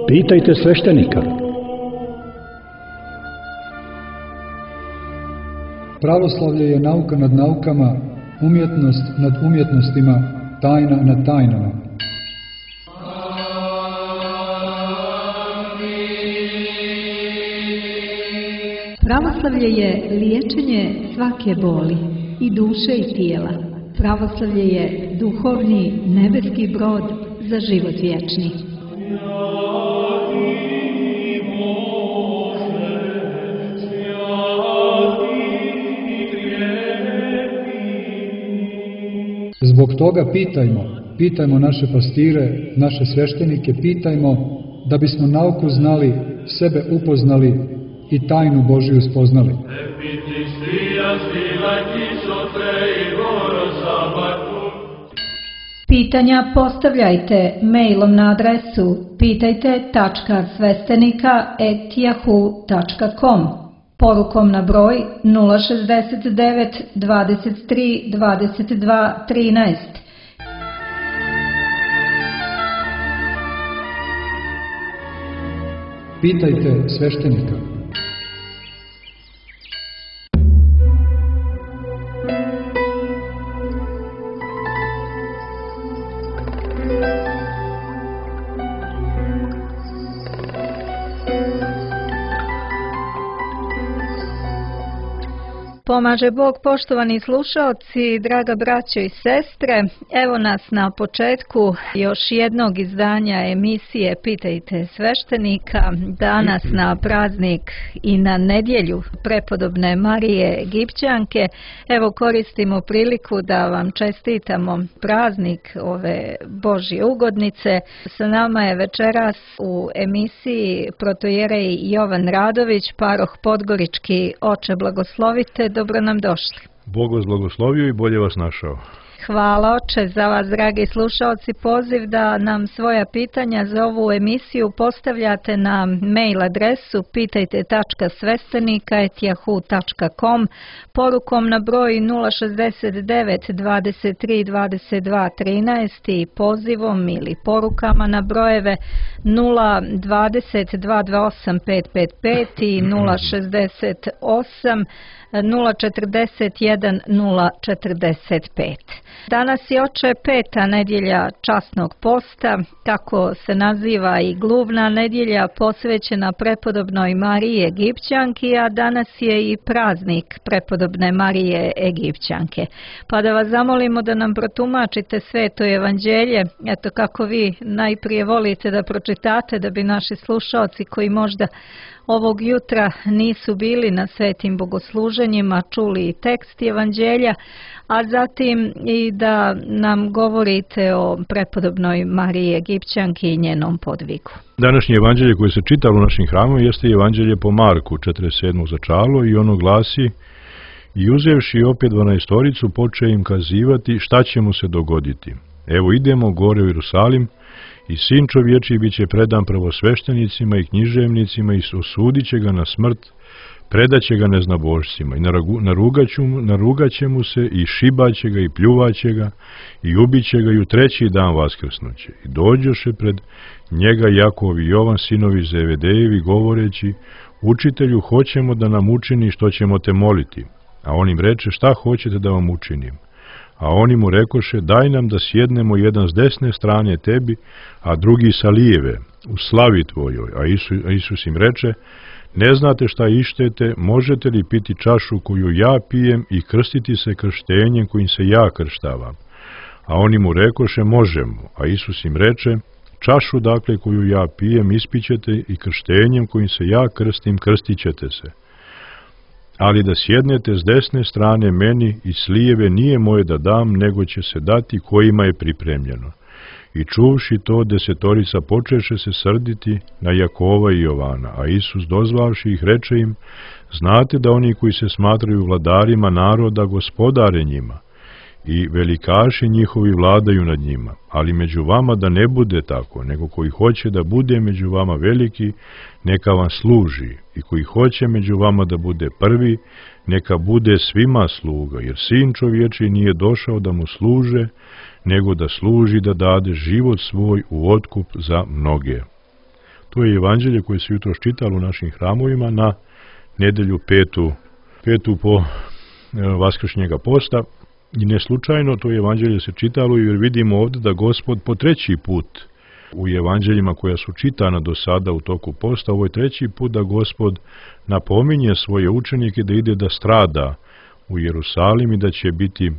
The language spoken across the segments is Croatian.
Pitajte sveštenika. Pravoslavlje je nauka nad naukama, umjetnost nad umjetnostima, tajna nad tajnama. Pravoslavlje je liječenje svake boli, i duše i tijela. Pravoslavlje je duhovni nebeski brod za život vječni. Zbog toga pitajmo naše pastire, naše sveštenike, pitajmo da bismo nauku znali, sebe upoznali i tajnu Božiju spoznali. Pitanja postavljajte mailom na adresu pitajte.svestenika@yahoo.com, porukom na broj 069 23 22 13. Pitajte sveštenika. Pomaže Bog, poštovani slušaoci, draga braćo i sestre. Evo nas na početku još jednog izdanja emisije Pitajte sveštenika. Danas na praznik i na nedjelju prepodobne Marije Egipćanke. Evo koristimo priliku da vam čestitamo praznik ove Božje ugodnice. Sa nama je večeras u emisiji protojerej Jovan Radović, paroh Podgorički. Oče, blagoslovite. Dobro nam došli. Bog vas blagoslovio i bolje vas našao. Hvala Oče za vas, dragi slušalci. Poziv da nam svoja pitanja za ovu emisiju postavljate na mail adresu pitajte.svestenika@yahoo.com, porukom na broj 069 23 22 13 i pozivom ili porukama na brojeve 020 228 555 i 068 041 045. Danas je, Oče, peta nedjelja časnog posta, kako se naziva i gluvna nedjelja posvećena prepodobnoj Mariji Egipćanki, a danas je i praznik prepodobne Marije Egipćanke. Pa da vas zamolimo da nam protumačite Sveto evanđelje, eto kako vi najprije volite da pročitate, da bi naši slušaoci koji možda ovog jutra nisu bili na svetim bogosluženjima čuli i tekst evanđelja, a zatim i da nam govorite o prepodobnoj Mariji Egipćanki i njenom podvigu. Današnje evanđelje koje se čitalo u našim hramom jeste evanđelje po Marku, 47. začalo, i ono glasi: I uzevši opet 12 poče im kazivati šta će mu se dogoditi. Evo idemo gore u Jerusalim, i sin čovječiji bit će predan prvosveštenicima i književnicima i osudit će ga na smrt, predat će ga neznabošcima i narugat će mu se i šibat će ga i pljuvat će ga i ubit će ga i u treći dan vaskrsnuće. I dođoše pred njega Jakov i Jovan, sinovi Zevedejevi, govoreći: Učitelju, hoćemo da nam učini što ćemo te moliti. A on im reče: Šta hoćete da vam učinim? A oni mu rekoše: Daj nam da sjednemo jedan s desne strane tebi, a drugi sa lijeve, u slavi tvojoj. A Isus im reče: Ne znate šta ištete, možete li piti čašu koju ja pijem i krstiti se krštenjem kojim se ja krštavam? A oni mu rekoše: Možemo. A Isus im reče: Čašu dakle koju ja pijem ispićete i krštenjem kojim se ja krstim krstit ćete se. Ali da sjednete s desne strane meni i s lijeve nije moje da dam, nego će se dati kojima je pripremljeno. I čuvši to, 10 počeše se srditi na Jakova i Jovana, a Isus dozvavši ih reče im: Znate da oni koji se smatraju vladarima naroda gospodare njima, i velikaši njihovi vladaju nad njima, ali među vama da ne bude tako, nego koji hoće da bude među vama veliki, neka vam služi, i koji hoće među vama da bude prvi, neka bude svima sluga, jer sin čovječiji nije došao da mu služe, nego da služi, da dade život svoj u otkup za mnoge. To je evanđelje koje se jutros čitalo u našim hramovima na nedelju petu po vaskršnjega posta. I ne slučajno to evanđelje se čitalo jer vidimo ovdje da Gospod po treći put u evanđeljima koja su čitana do sada u toku posta, ovo je treći put da Gospod napominje svoje učenike da ide da strada u Jerusalim i da će biti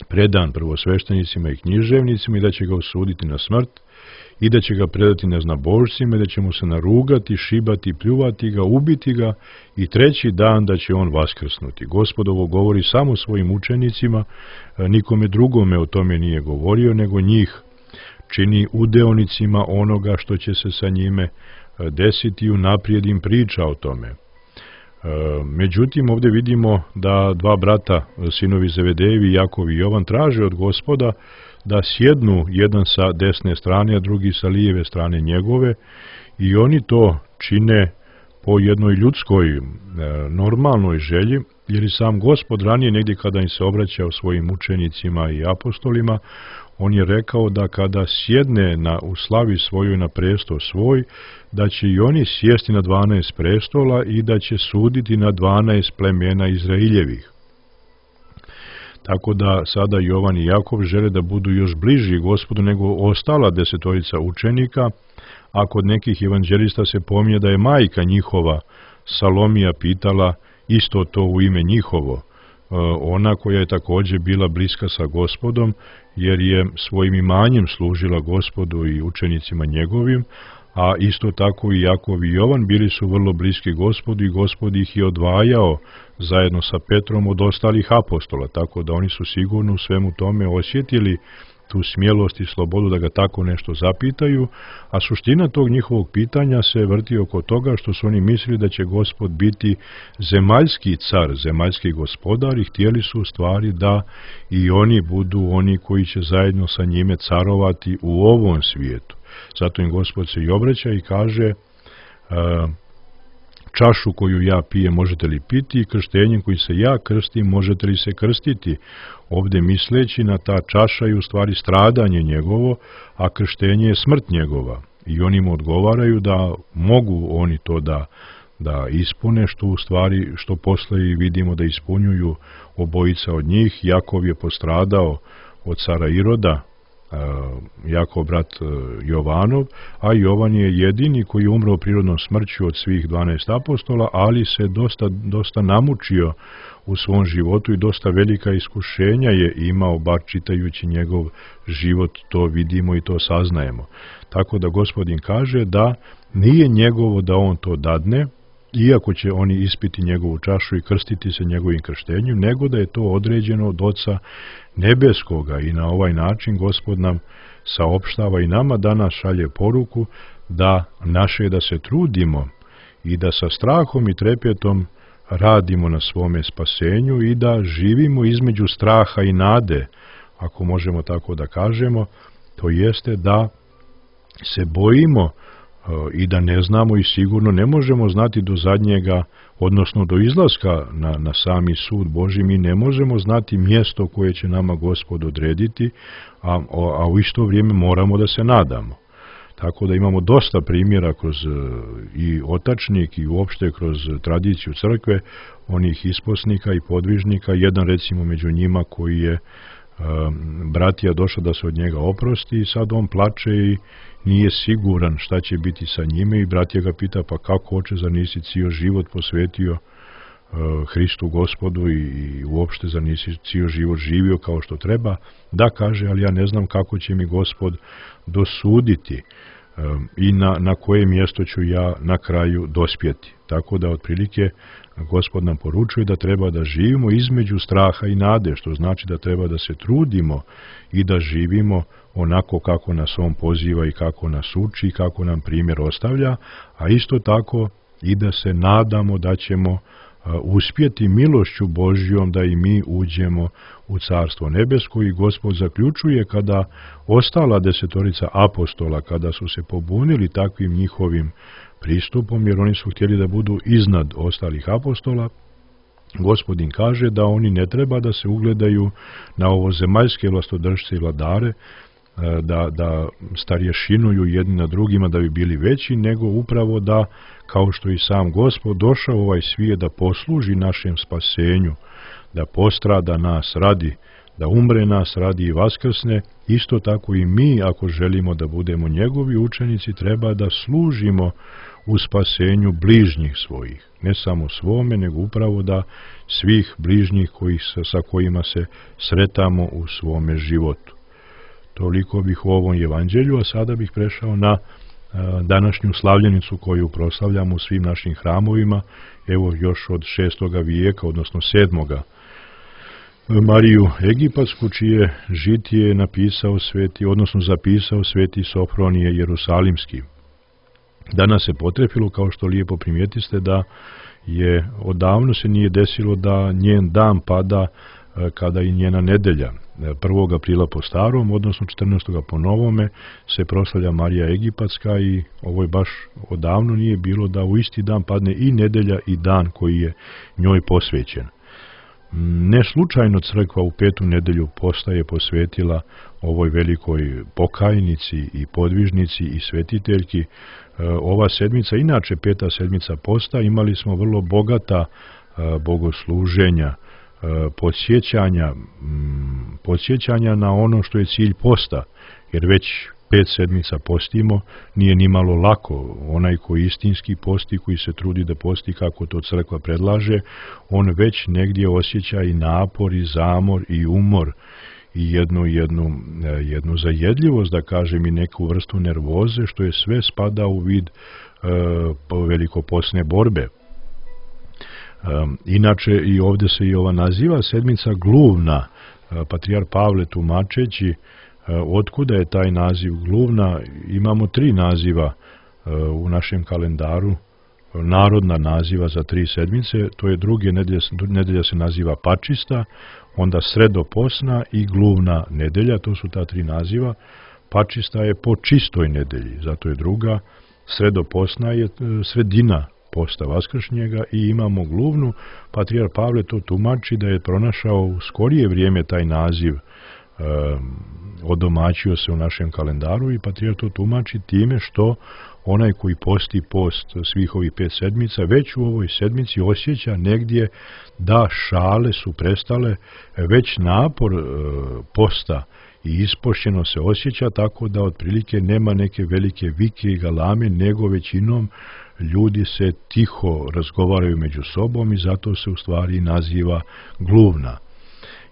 predan prvosveštenicima i književnicima i da će ga osuditi na smrt i da će ga predati neznabožcima i da će mu se narugati, šibati, pljuvati ga, ubiti ga i treći dan da će on vaskrsnuti. Gospod ovo govori samo svojim učenicima, nikome drugome o tome nije govorio, nego njih čini udeonicima onoga što će se sa njime desiti i unaprijed im priča o tome. Međutim, ovdje vidimo da dva brata, sinovi Zevedejevi, Jakov i Jovan, traže od Gospoda da sjednu jedan sa desne strane, a drugi sa lijeve strane njegove i oni to čine po jednoj ljudskoj, normalnoj želji, jer i sam Gospod ranije negdje kada im se obraćao svojim učenicima i apostolima, on je rekao da kada sjedne u slavi svojoj na prestol svoj, da će i oni sjesti na 12 prestola i da će suditi na 12 plemena Izraeljevih. Tako da sada Jovan i Jakov žele da budu još bliži Gospodu nego ostala 10 učenika, a kod nekih evanđelista se pominje da je majka njihova Salomija pitala isto to u ime njihovo, ona koja je također bila bliska sa Gospodom, jer je svojim imanjem služila Gospodu i učenicima njegovim, a isto tako i Jakov i Jovan bili su vrlo bliski Gospodu i Gospod ih je odvajao zajedno sa Petrom od ostalih apostola, tako da oni su sigurno u svemu tome osjetili tu smjelost i slobodu da ga tako nešto zapitaju, a suština tog njihovog pitanja se vrti oko toga što su oni mislili da će Gospod biti zemaljski car, zemaljski gospodar i htjeli su u stvari da i oni budu oni koji će zajedno sa njime carovati u ovom svijetu. Zato im Gospod se i obraća i kaže čašu koju ja pijem možete li piti i krštenjem koji se ja krstim možete li se krstiti. Ovdje misleći na ta čaša je u stvari stradanje njegovo, a krštenje je smrt njegova. I oni mu odgovaraju da mogu oni to da ispune, što u stvari, što posle i vidimo da ispunjuju obojica od njih. Jakov je postradao od cara Iroda, Jakov brat Jovanov, a Jovan je jedini koji je umro prirodnom smrću od svih 12 apostola, ali se dosta namučio u svom životu i dosta velika iskušenja je imao, bar čitajući njegov život to vidimo i to saznajemo. Tako da Gospodin kaže da nije njegovo da on to dadne, iako će oni ispiti njegovu čašu i krstiti se njegovim krštenjem, nego da je to određeno od Oca nebeskoga i na ovaj način Gospod nam saopštava i nama danas šalje poruku da naše da se trudimo i da sa strahom i trepetom radimo na svome spasenju i da živimo između straha i nade, ako možemo tako da kažemo, to jeste da se bojimo i da ne znamo i sigurno ne možemo znati do zadnjega, odnosno do izlaska na sami sud Božji, mi ne možemo znati mjesto koje će nama Gospod odrediti, a u isto vrijeme moramo da se nadamo. Tako da imamo dosta primjera kroz i otačnik i uopšte kroz tradiciju crkve, onih isposnika i podvižnika, jedan recimo među njima koji je bratija došla da se od njega oprosti i sad on plače i nije siguran šta će biti sa njime i bratija ga pita pa kako oče, zar nisi cijel život posvetio Hristu Gospodu i uopšte zar nisi cijel život živio kao što treba? Da, kaže, ali ja ne znam kako će mi Gospod dosuditi i na koje mjesto ću ja na kraju dospjeti. Tako da otprilike Gospod nam poručuje da treba da živimo između straha i nade, što znači da treba da se trudimo i da živimo onako kako nas on poziva i kako nas uči i kako nam primjer ostavlja, a isto tako i da se nadamo da ćemo uspjeti milošću Božjom da i mi uđemo u Carstvo nebesko. I Gospod zaključuje kada ostala 10 apostola, kada su se pobunili takvim njihovim pristupom, jer oni su htjeli da budu iznad ostalih apostola, Gospodin kaže da oni ne treba da se ugledaju na ovo zemaljske vlastodržce i vladare, da starješinuju jedni na drugima da bi bili veći, nego upravo da, kao što i sam Gospod došao u ovaj svijet da posluži našem spasenju, da postrada nas radi, da umre nas radi i vaskrsne, isto tako i mi, ako želimo da budemo njegovi učenici, treba da služimo u spasenju bližnjih svojih. Ne samo svome, nego upravo da svih bližnjih sa kojima se sretamo u svome životu. Toliko bih u ovom evanđelju, a sada bih prešao na današnju slavljenicu koju proslavljamo u svim našim hramovima, evo još od 6. vijeka, odnosno 7. Mariju Egipatsku, čije žitije je zapisao sveti Sofronije Jerusalimski. Danas se potrefilo, kao što lijepo primijetiste, da je odavno se nije desilo da njen dan pada kada i njena nedelja. 1. aprila po starom, odnosno 14. po novome, se proslavlja Marija Egipatska i ovo je baš odavno nije bilo da u isti dan padne i nedelja i dan koji je njoj posvećen. Ne slučajno crkva u 5. nedelju posta je posvetila ovoj velikoj pokajnici i podvižnici i svetiteljki. Ova sedmica, inače 5. sedmica posta, imali smo vrlo bogata bogosluženja, podsjećanja na ono što je cilj posta, jer već 5 sedmica postimo, nije ni malo lako. Onaj koji istinski posti, koji se trudi da posti kako to crkva predlaže, on već negdje osjeća i napor, i zamor, i umor, i jednu zajedljivost, da kažem, i neku vrstu nervoze, što je sve spada u vid velikopostne borbe. Inače, i ovdje se i ova naziva sedmica gluvna. Patrijar Pavle, tumačeći otkuda je taj naziv gluvna, imamo 3 naziva u našem kalendaru, narodna naziva za 3 sedmice, to je druge nedelja se naziva pačista, onda sredoposna i gluvna nedelja, to su ta 3 naziva. Pačista je po čistoj nedelji, zato je druga, sredoposna je sredina posta vaskršnjega i imamo gluvnu. Patrijar Pavle to tumači da je pronašao u skorije vrijeme taj naziv, odomaćio se u našem kalendaru i patrijar to tumači time što onaj koji posti post svih ovih 5 sedmica, već u ovoj sedmici osjeća negdje da šale su prestale, već napor posta i ispošćeno se osjeća, tako da otprilike nema neke velike vike i galame, nego većinom ljudi se tiho razgovaraju među sobom i zato se u stvari naziva gluvna.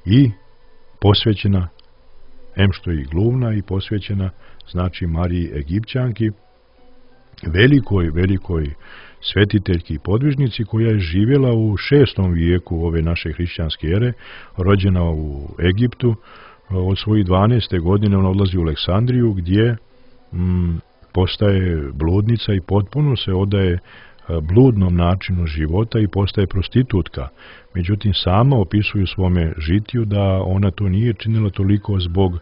I posvećena, em što je i gluvna, i posvećena znači Mariji Egipćanki, velikoj svetiteljki i podvižnici koja je živjela u 6. vijeku ove naše hrišćanske ere, rođena u Egiptu. Od svojih 12. godine ona odlazi u Aleksandriju gdje postaje bludnica i potpuno se odaje bludnom načinu života i postaje prostitutka. Međutim, sama opisuje u svome žitiju da ona to nije činila toliko zbog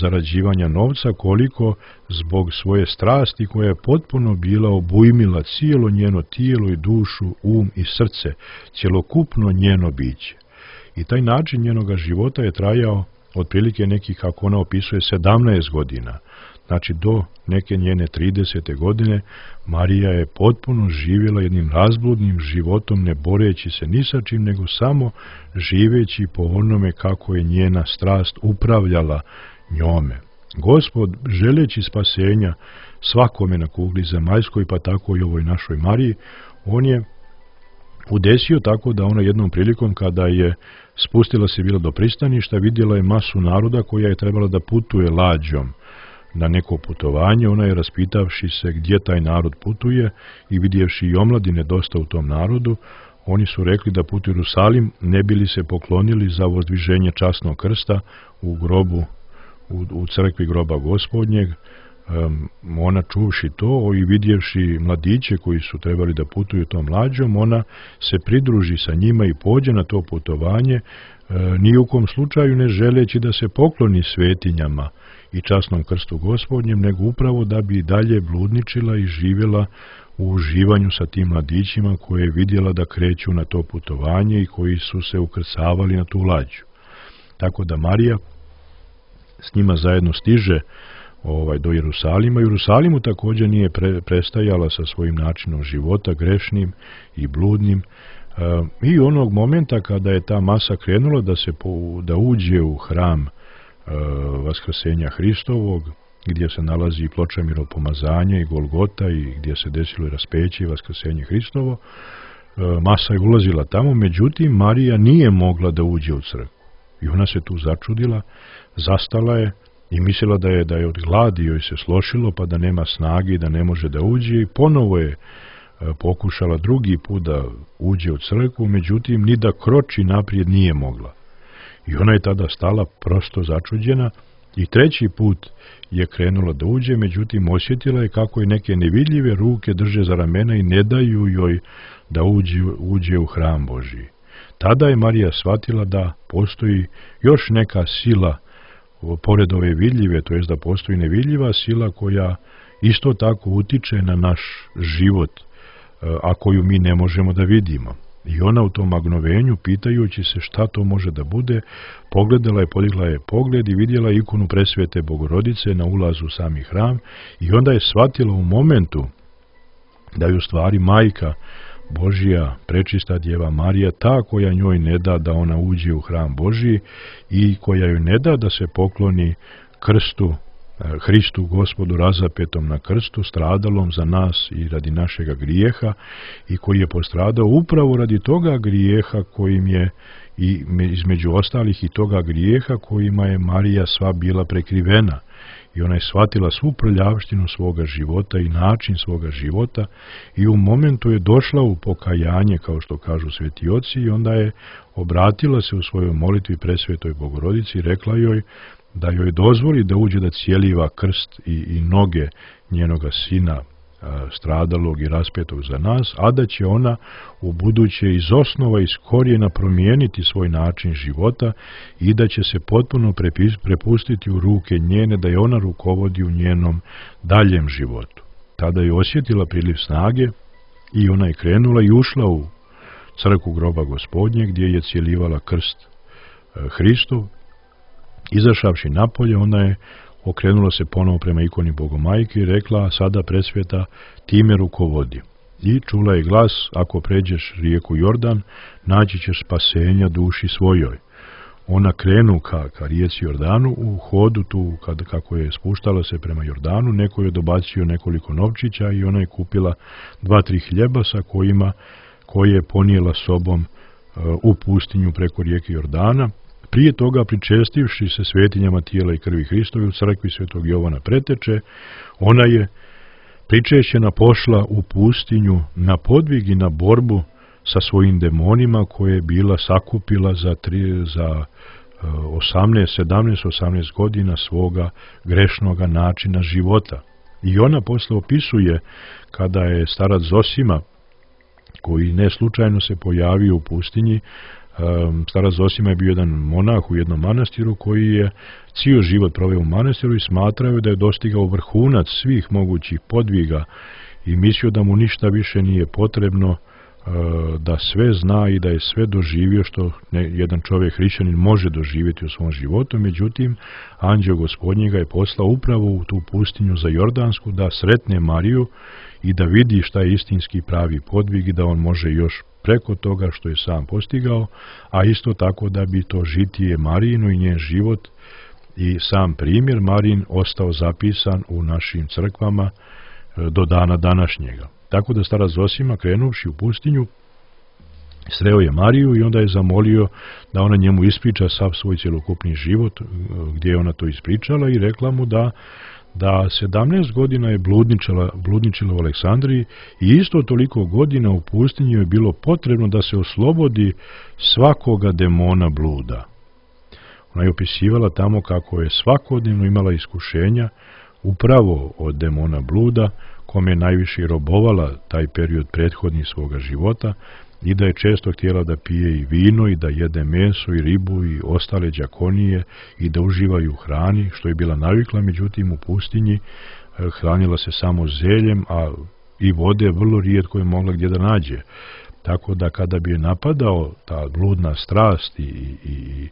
zarađivanja novca, koliko zbog svoje strasti koja je potpuno bila obujmila cijelo njeno tijelo i dušu, i srce, cjelokupno njeno biće. I taj način njenoga života je trajao otprilike nekih, kako ona opisuje, 17 godina. Znači, do neke njene 30. godine Marija je potpuno živjela jednim razbludnim životom, ne boreći se ni sa čim, nego samo živeći po onome kako je njena strast upravljala njome. Gospod, želeći spasenja svakome na kugli zemaljskoj, pa tako i ovoj našoj Mariji, on je udesio tako da ona jednom prilikom, kada je spustila se bila do pristaništa, vidjela je masu naroda koja je trebala da putuje lađom na neko putovanje. Ona je, raspitavši se gdje taj narod putuje i vidjevši i omladine dosta u tom narodu, oni su rekli da putuju u Jerusalim, ne bili se poklonili za vozdviženje časnog krsta u grobu, u crkvi groba Gospodnjeg. Ona, čuvši to i vidjevši mladiće koji su trebali da putuju tom lađom, ona se pridruži sa njima i pođe na to putovanje, ni u kom slučaju ne želeći da se pokloni svetinjama i časnom krstu Gospodnjem, nego upravo da bi dalje bludničila i živjela u uživanju sa tim mladićima koje je vidjela da kreću na to putovanje i koji su se ukrcavali na tu lađu. Tako da Marija s njima zajedno stiže do Jerusalima. Jerusalimu također nije prestajala sa svojim načinom života, grešnim i bludnim. I onog momenta kada je ta masa krenula da uđe u hram Vaskrsenja Hristovog, gdje se nalazi ploča miropomazanja i Golgota i gdje se desilo i raspeće i Vaskrsenje Hristovo, masa je ulazila tamo, međutim Marija nije mogla da uđe u crkvu. I ona se tu začudila, zastala je i mislila da je od gladi joj se slošilo, pa da nema snage i da ne može da uđe, i ponovo je pokušala drugi put da uđe u crkvu, međutim ni da kroči naprijed nije mogla. I ona je tada stala prosto začuđena i treći put je krenula da uđe, međutim osjetila je kako je neke nevidljive ruke drže za ramena i ne daju joj da uđe u hram Božji. Tada je Marija shvatila da postoji još neka sila pored ove vidljive, to jest da postoji nevidljiva sila koja isto tako utiče na naš život, a koju mi ne možemo da vidimo. I ona u tom magnovenju, pitajući se šta to može da bude, pogledala je, podigla je pogled i vidjela ikonu presvete Bogorodice na ulazu u sami hram, i onda je shvatila u momentu da je u stvari Majka Božija, prečista Djeva Marija, ta koja njoj ne da da ona uđe u hram Božji i koja joj ne da da se pokloni krstu, Hristu Gospodu razapetom na krstu, stradalom za nas i radi našega grijeha, i koji je postradao upravo radi toga grijeha kojim je, i između ostalih i toga grijeha kojima je Marija sva bila prekrivena. I ona je shvatila svu prljavštinu svoga života i način svoga života, i u momentu je došla u pokajanje, kao što kažu sveti oci, i onda je obratila se u svojoj molitvi presvetoj Bogorodici i rekla joj da joj dozvoli da uđe da cijeliva krst i noge njenoga sina stradalog i raspetog za nas, a da će ona u buduće iz osnova, iz korijena promijeniti svoj način života i da će se potpuno prepustiti u ruke njene, da je ona rukovodi u njenom daljem životu. Tada je osjetila priliv snage i ona je krenula i ušla u crkvu groba Gospodnje, gdje je cijelivala krst Hristov. Izašavši napolje, ona je okrenula se ponovo prema ikoni Bogomajke i rekla: sada presveta, ti me rukovodi. I čula je glas: ako pređeš rijeku Jordan, naći ćeš spasenja duši svojoj. Ona krenu ka rijeci Jordanu, u hodu tu, kako je spuštala se prema Jordanu, neko je dobacio nekoliko novčića i ona je kupila 2-3 hljeba sa koje je ponijela sobom u pustinju preko rijeke Jordana. Prije toga, pričestivši se svetinjama tijela i krvi Hristovi u crkvi svetog Jovana Preteče, ona je pričešćena pošla u pustinju na podvig i na borbu sa svojim demonima koje je bila sakupila za 18 godina svoga grešnoga načina života. I ona posle opisuje kada je starac Zosima, koji ne slučajno se pojavio u pustinji. Starac Zosima je bio jedan monah u jednom manastiru koji je cijeli život proveo u manastiru i smatrao da je dostigao vrhunac svih mogućih podviga i mislio da mu ništa više nije potrebno, da sve zna i da je sve doživio što jedan čovjek hrišćanin može doživjeti u svom životu. Međutim, anđeo Gospodnji ga je poslao upravo u tu pustinju za Jordansku da sretne Mariju i da vidi šta je istinski pravi podvig i da on može još preko toga što je sam postigao, a isto tako da bi to žitije Marijino i njen život i sam primjer Marijin ostao zapisan u našim crkvama do dana današnjega. Tako da starac Zosima, krenuvši u pustinju, sreo je Mariju i onda je zamolio da ona njemu ispriča sav svoj cjelokupni život, gdje je ona to ispričala, i rekla mu da 17 godina je bludničila u Aleksandriji i isto toliko godina u pustinju je bilo potrebno da se oslobodi svakoga demona bluda. Ona je opisivala tamo kako je svakodnevno imala iskušenja upravo od demona bluda, kome je najviše robovala taj period prethodni svoga života, i da je često htjela da pije i vino i da jede meso i ribu i ostale đakonije i da uživaju u hrani, što je bila navikla. Međutim, u pustinji hranila se samo zeljem, a i vode vrlo rijetko je mogla gdje da nađe. Tako da kada bi je napadao ta bludna strast i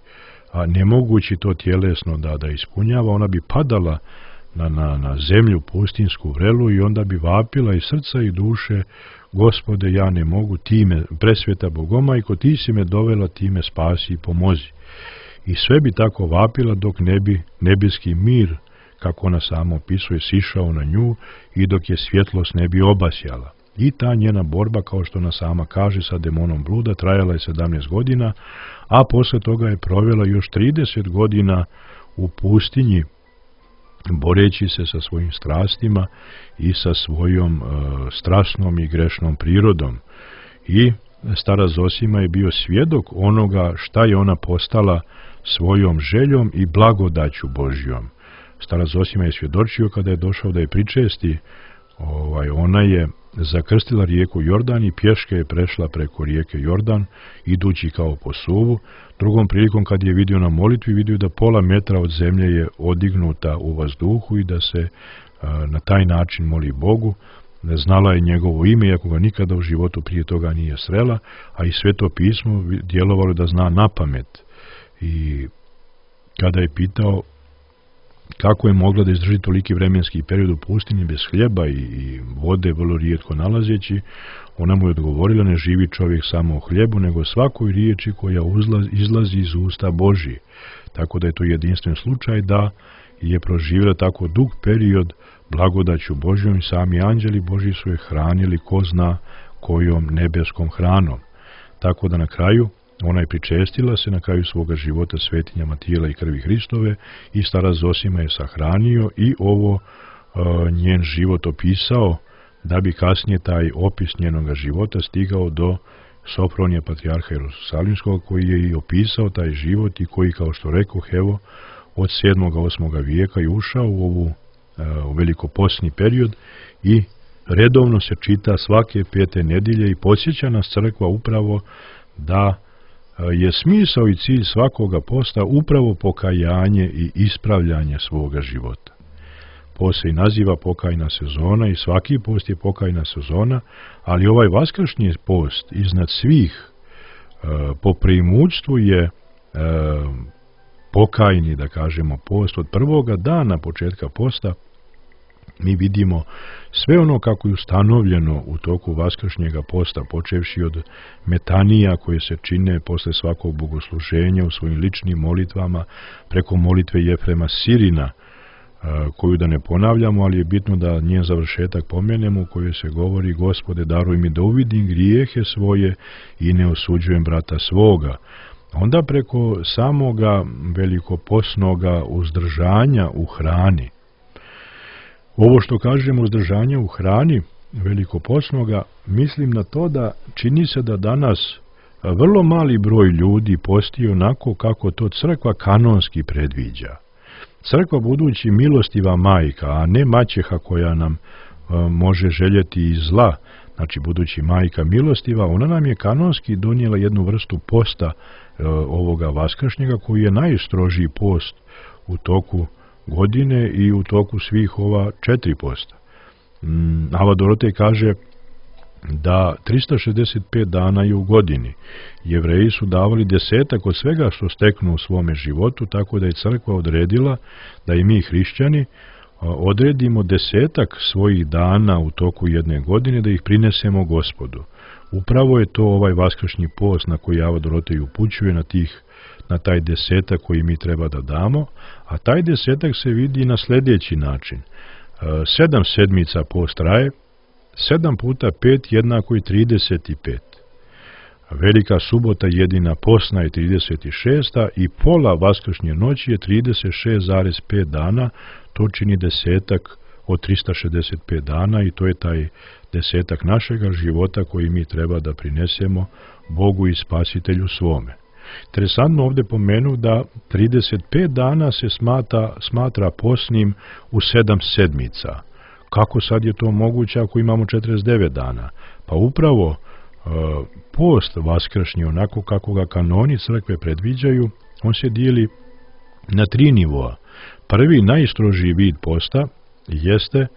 a nemogući to tjelesno da ispunjava, ona bi padala na zemlju pustinsku vrelu i onda bi vapila iz srca i duše: Gospode, ja ne mogu, ti me, presveta Bogomajko, ti si me dovela, ti me spasi i pomozi. I sve bi tako vapila dok ne bi nebeski mir, kako ona sama opisuje, sišao na nju i dok je svjetlost ne bi obasjala. I ta njena borba, kao što ona sama kaže, sa demonom bluda trajala je 17 godina, a posle toga je provela još 30 godina u pustinji, boreći se sa svojim strastima i sa svojom strasnom i grešnom prirodom. I stara Zosima je bio svjedok onoga šta je ona postala svojom željom i blagodaću Božjom. Stara Zosima je svjedočio kada je došao da je pričesti, ona je zakrstila rijeku Jordan i pješke je prešla preko rijeke Jordan, idući kao po suvu. Drugom prilikom, kad je vidio na molitvi, vidio da pola metra od zemlje je odignuta u vazduhu i da se na taj način moli Bogu. Znala je njegovo ime, iako ga nikada u životu prije toga nije srela, a i Sveto pismo djelovalo da zna napamet. I kada je pitao kako je mogla da izdrži toliki vremenski period u pustinji bez hljeba i vode vrlo rijetko nalazeći, ona mu je odgovorila: ne živi čovjek samo o hljebu, nego svakoj riječi koja izlazi iz usta Božije. Tako da je to jedinstven slučaj da je proživjela tako dug period blagodaću Božjom i sami anđeli Božji su je hranili ko zna kojom nebeskom hranom. Tako da na kraju ona je pričestila se na kraju svoga života svetinjama tijela i krvi Hristove i stara Zosima je sahranio i ovo njen život opisao, da bi kasnije taj opis njenoga života stigao do Sofronija patrijarha Jerusalimskog, koji je i opisao taj život i koji, kao što rekoh, evo, od 7. 8. vijeka je ušao u velikoposni period i redovno se čita svake 5. nedjelje i podsjeća nas crkva upravo da je smisao i cilj svakoga posta upravo pokajanje i ispravljanje svoga života. Post se i naziva pokajna sezona i svaki post je pokajna sezona, ali ovaj vaskršnji post iznad svih po preimućstvu je pokajni, da kažemo, post. Od prvoga dana početka posta mi vidimo sve ono kako je ustanovljeno u toku vaskršnjega posta, počevši od metanija koje se čine posle svakog bogosluženja u svojim ličnim molitvama, preko molitve Jefrema Sirina, koju da ne ponavljamo, ali je bitno da njen završetak pomenemo, u kojoj se govori: Gospode, daruj mi da uvidim grijehe svoje i ne osuđujem brata svoga. Onda preko samoga velikoposnoga uzdržanja u hrani. Ovo što kažemo uzdržanje u hrani velikoposnoga, mislim na to da čini se da danas vrlo mali broj ljudi posti onako kako to crkva kanonski predviđa. Crkva budući milostiva majka, a ne maćeha koja nam može željeti i zla, znači budući majka milostiva, ona nam je kanonski donijela jednu vrstu posta ovoga vaskršnjega, koji je najstrožiji post u toku godine i u toku svih ova 4 posta. Ava Dorotej kaže da 365 dana je u godini. Jevreji su davali 10 od svega što steknu u svome životu, tako da je crkva odredila da i mi hrišćani odredimo 10 svojih dana u toku jedne godine, da ih prinesemo Gospodu. Upravo je to ovaj vaskršnji post na koji Ava Dorotej upućuje, na taj 10 koji mi treba da damo, a taj 10 se vidi na sljedeći način. 7 sedmica post traje, 7 puta 5 jednako je 35. Velika subota jedina posna je 36. i pola vaskršnje noći je 36,5 dana, to čini 10 od 365 dana i to je taj 10 našega života koji mi treba da prinesemo Bogu i Spasitelju svome. Interesantno ovdje pomenu da 35 dana se smatra posnim u 7 sedmica. Kako sad je to moguće ako imamo 49 dana? Pa upravo post vaskršnji, onako kako ga kanoni crkve predviđaju, on se dijeli na 3 nivoa. Prvi, najstrožiji vid posta jeste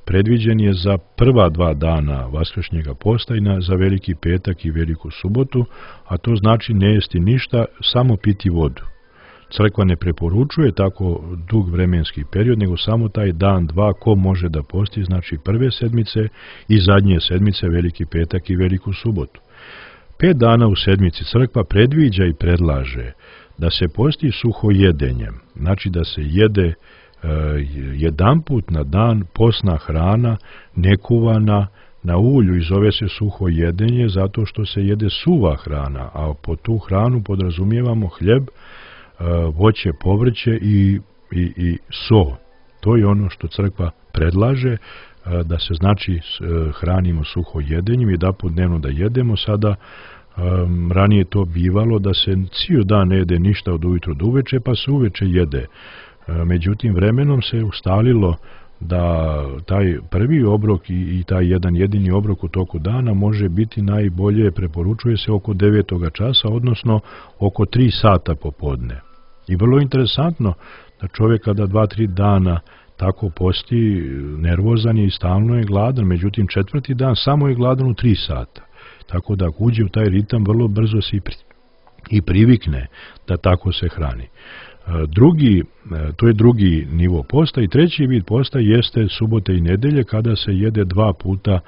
predviđen je za prva 2 dana vaskršnjega posta i za Veliki petak i Veliku subotu, a to znači ne jesti ništa, samo piti vodu. Crkva ne preporučuje tako dug vremenski period, nego samo taj dan, dva, ko može da posti, znači prve sedmice i zadnje sedmice, Veliki petak i Veliku subotu. 5 dana u sedmici crkva predviđa i predlaže da se posti suhojedenjem, znači da se jede jedanput na dan posna hrana, nekuvana, na ulju, i zove se suhojedenje zato što se jede suva hrana, a po tu hranu podrazumijevamo hljeb, voće, povrće i so. To je ono što crkva predlaže, da se znači hranimo suhojedenjem, jedanput dnevno da jedemo. Sada ranije to bivalo da se cijeli dan ne jede ništa od ujutro do uveče, pa se uveče jede. Međutim, vremenom se ustalilo da taj prvi obrok i taj jedan jedini obrok u toku dana može biti najbolje, preporučuje se oko 9. časa, odnosno oko 3 sata popodne. I vrlo interesantno da čovjek kada 2-3 dana tako posti, nervozan je i stalno je gladan, međutim 4. dan samo je gladan u 3 sata. Tako da ako uđe u taj ritam, vrlo brzo se i privikne da tako se hrani. To je drugi nivo posta, i treći vid posta jeste subote i nedelje, kada se jede 2 puta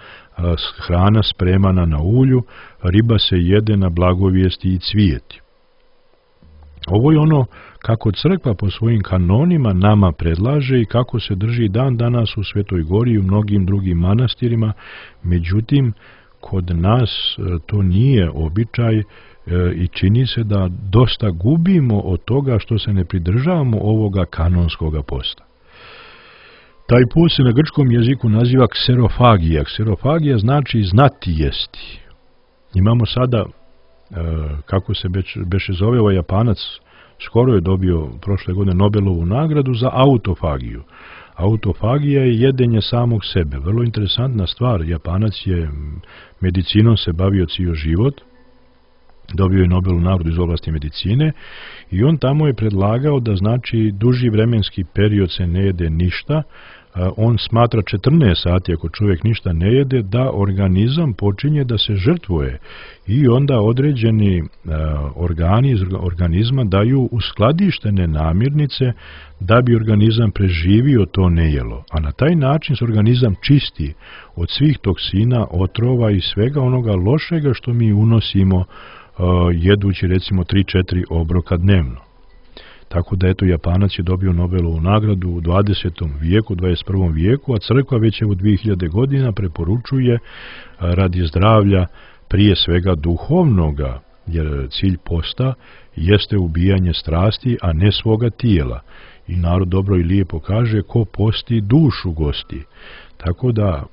hrana spremana na ulju, riba se jede na blagovijesti i cvijeti. Ovo je ono kako crkva po svojim kanonima nama predlaže i kako se drži dan danas u Svetoj Gori i u mnogim drugim manastirima. Međutim, kod nas to nije običaj i čini se da dosta gubimo od toga što se ne pridržavamo ovoga kanonskoga posta. Taj post se na grčkom jeziku naziva kserofagija. Kserofagija znači znati jesti. Imamo sada, kako se beše zove, ovaj Japanac, skoro je dobio prošle godine Nobelovu nagradu za autofagiju. Autofagija je jedenje samog sebe. Vrlo interesantna stvar. Japanac je medicinom se bavio cijeli život. Dobio je Nobelovu nagradu iz oblasti medicine i on tamo je predlagao da znači duži vremenski period se ne jede ništa. On smatra 14 sati ako čovjek ništa ne jede, da organizam počinje da se žrtvuje i onda određeni organi iz organizma daju uskladištene namirnice da bi organizam preživio to nejelo. A na taj način se organizam čisti od svih toksina, otrova i svega onoga lošega što mi unosimo jedući recimo 3-4 obroka dnevno. Tako da eto, Japanac je dobio Nobelovu nagradu u 20. vijeku, 21. vijeku, a crkva već u 2000 godina preporučuje radi zdravlja prije svega duhovnoga, jer cilj posta jeste ubijanje strasti, a ne svoga tijela. I narod dobro i lijepo kaže, ko posti dušu gosti. Tako da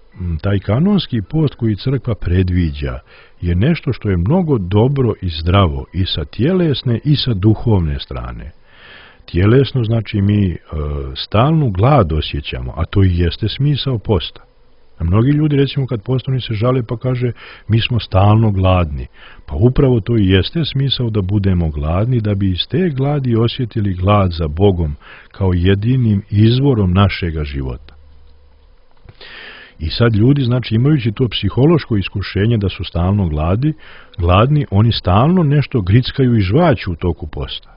taj kanonski post koji crkva predviđa je nešto što je mnogo dobro i zdravo i sa tjelesne i sa duhovne strane. Tjelesno znači mi stalnu glad osjećamo, a to i jeste smisao posta. A mnogi ljudi recimo kad postani se žale pa kaže mi smo stalno gladni. Pa upravo to i jeste smisao da budemo gladni, da bi iz te gladi osjetili glad za Bogom kao jedinim izvorom našega života. I sad ljudi, znači imajući to psihološko iskušenje da su stalno gladni, oni stalno nešto grickaju i žvaću u toku posta.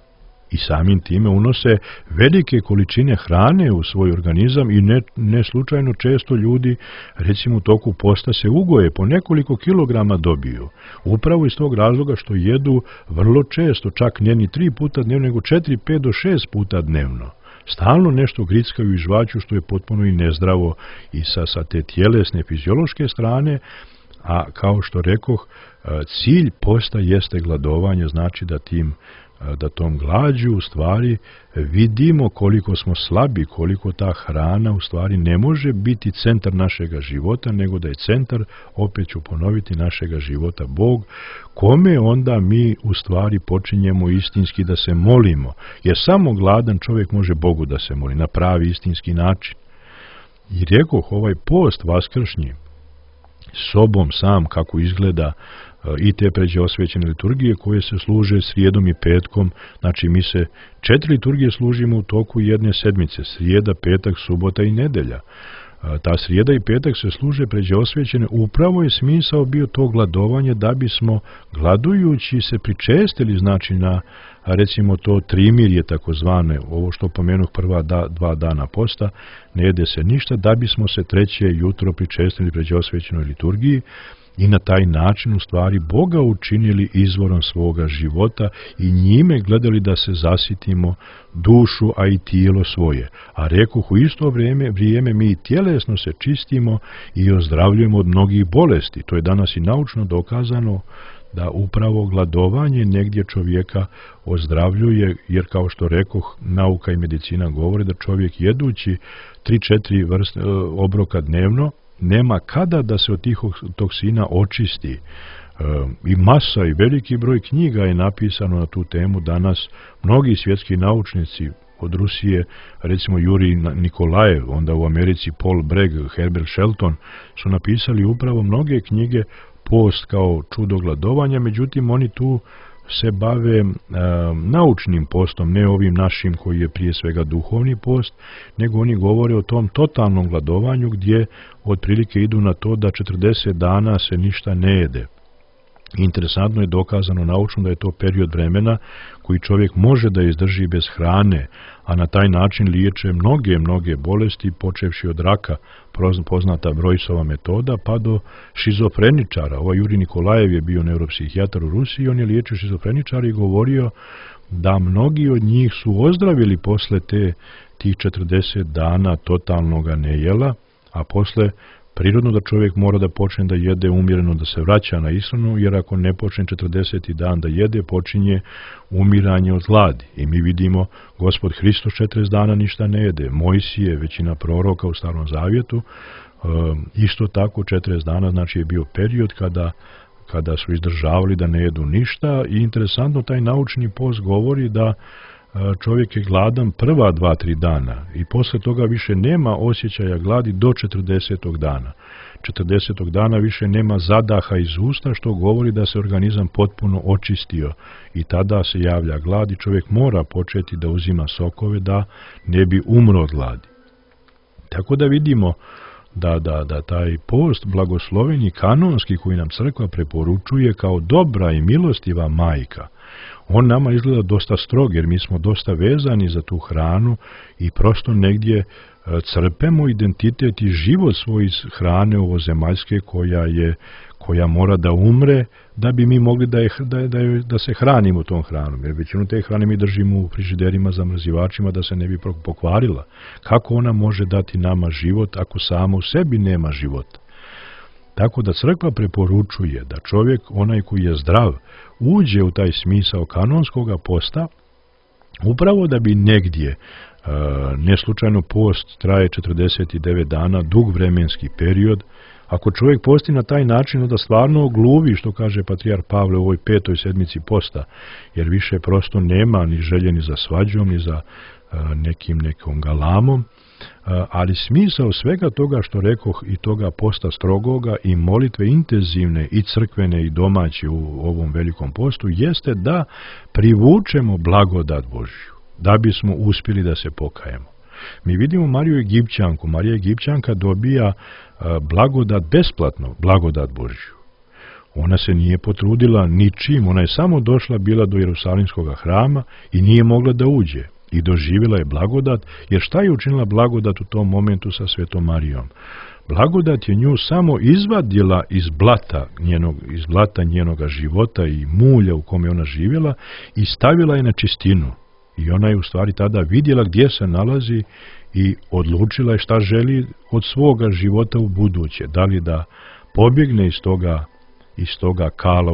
I samim time unose velike količine hrane u svoj organizam i ne slučajno često ljudi recimo u toku posta se ugoje, po nekoliko kilograma dobiju. Upravo iz tog razloga što jedu vrlo često, čak ne ni 3 puta dnevno, nego 4, 5 do 6 puta dnevno. Stalno nešto grickaju i žvaću što je potpuno i nezdravo i sa te tjelesne fiziološke strane, a kao što rekoh, cilj posta jeste gladovanje, znači da tom glađu u stvari vidimo koliko smo slabi, koliko ta hrana u stvari ne može biti centar našega života, nego da je centar, opet ću ponoviti, našega života Bog, kome onda mi u stvari počinjemo istinski da se molimo, jer samo gladan čovjek može Bogu da se moli na pravi istinski način. I rekoh, ovaj post vaskršnji sobom sam kako izgleda i te pređe osvećene liturgije koje se služe srijedom i petkom, znači mi se 4 liturgije služimo u toku jedne sedmice, srijeda, petak, subota i nedelja. Ta srijeda i petak se služe pređe osvećene. Upravo je smisao bio to gladovanje da bismo gladujući se pričestili, znači na recimo to trimirje takozvane, ovo što pomenuh prva 2 dana posta, ne jede se ništa, da bismo se treće jutro pričestili pređe osvećenoj liturgiji i na taj način u stvari Boga učinili izvorom svoga života i njime gledali da se zasitimo dušu, a i tijelo svoje. A rekoh, u isto vrijeme mi tjelesno se čistimo i ozdravljujemo od mnogih bolesti. To je danas i naučno dokazano da upravo gladovanje negdje čovjeka ozdravljuje, jer kao što rekoh, nauka i medicina govore da čovjek jedući 3-4 vrste obroka dnevno nema kada da se od tih toksina očisti. I masa i veliki broj knjiga je napisano na tu temu danas. Mnogi svjetski naučnici od Rusije, recimo Jurij Nikolajev, onda u Americi Paul Bragg, Herbert Shelton, su napisali upravo mnoge knjige post kao čudo gladovanja, međutim oni tu se bave naučnim postom, ne ovim našim koji je prije svega duhovni post, nego oni govore o tom totalnom gladovanju gdje otprilike idu na to da 40 dana se ništa ne jede. Interesantno je dokazano naučno da je to period vremena koji čovjek može da izdrži bez hrane, a na taj način liječe mnoge bolesti, počevši od raka, poznata Brojsova metoda, pa do šizofreničara. Ovaj Jurij Nikolajev je bio neuropsihijatar u Rusiji, on je liječio šizofreničara i govorio da mnogi od njih su ozdravili posle tih 40 dana totalnoga nejela, a posle prirodno da čovjek mora da počne da jede umjereno, da se vraća na ishranu, jer ako ne počne 40. dan da jede, počinje umiranje od gladi. I mi vidimo, Gospod Hristos 40 dana ništa ne jede. Mojsije, većina proroka u Starom Zavjetu, isto tako 40 dana, znači je bio period kada su izdržavali da ne jedu ništa. I interesantno, taj naučni post govori da čovjek je gladan prva 2-3 dana i posle toga više nema osjećaja gladi do 40. dana. 40. dana više nema zadaha iz usta, što govori da se organizam potpuno očistio i tada se javlja glad i čovjek mora početi da uzima sokove da ne bi umro od gladi. Tako da vidimo da taj post blagosloven i kanonski koji nam crkva preporučuje kao dobra i milostiva majka, on nama izgleda dosta strog, jer mi smo dosta vezani za tu hranu i prosto negdje crpemo identitet i život svoj iz hrane ovozemaljske koja mora da umre da bi mi mogli da se hranimo tom hranom. Jer većinu te hrane mi držimo u frižiderima, zamrzivačima da se ne bi pokvarila. Kako ona može dati nama život ako sama u sebi nema života? Tako da crkva preporučuje da čovjek, onaj koji je zdrav, uđe u taj smisao kanonskoga posta, upravo da bi negdje, ne slučajno post traje 49 dana, dug vremenski period. Ako čovjek posti na taj način, onda stvarno ogluvi, što kaže patrijar Pavle u ovoj 5. sedmici posta, jer više prosto nema ni želje ni za svađom, ni za nekom galamom. Ali smisao svega toga što rekoh i toga posta strogoga i molitve intenzivne i crkvene i domaće u ovom velikom postu jeste da privučemo blagodat Božju, da bismo uspjeli da se pokajemo. Mi vidimo Mariju Egipćanku. Marija Egipćanka dobija blagodat besplatno, blagodat Božju. Ona se nije potrudila ničim, ona je samo došla bila do Jerusalimskog hrama i nije mogla da uđe. I doživjela je blagodat, jer šta je učinila blagodat u tom momentu sa Svetom Marijom? Blagodat je nju samo izvadila iz blata njenoga života i mulja u kome ona živjela i stavila je na čistinu. I ona je u stvari tada vidjela gdje se nalazi i odlučila je šta želi od svoga života u buduće. Da li da pobjegne iz toga kala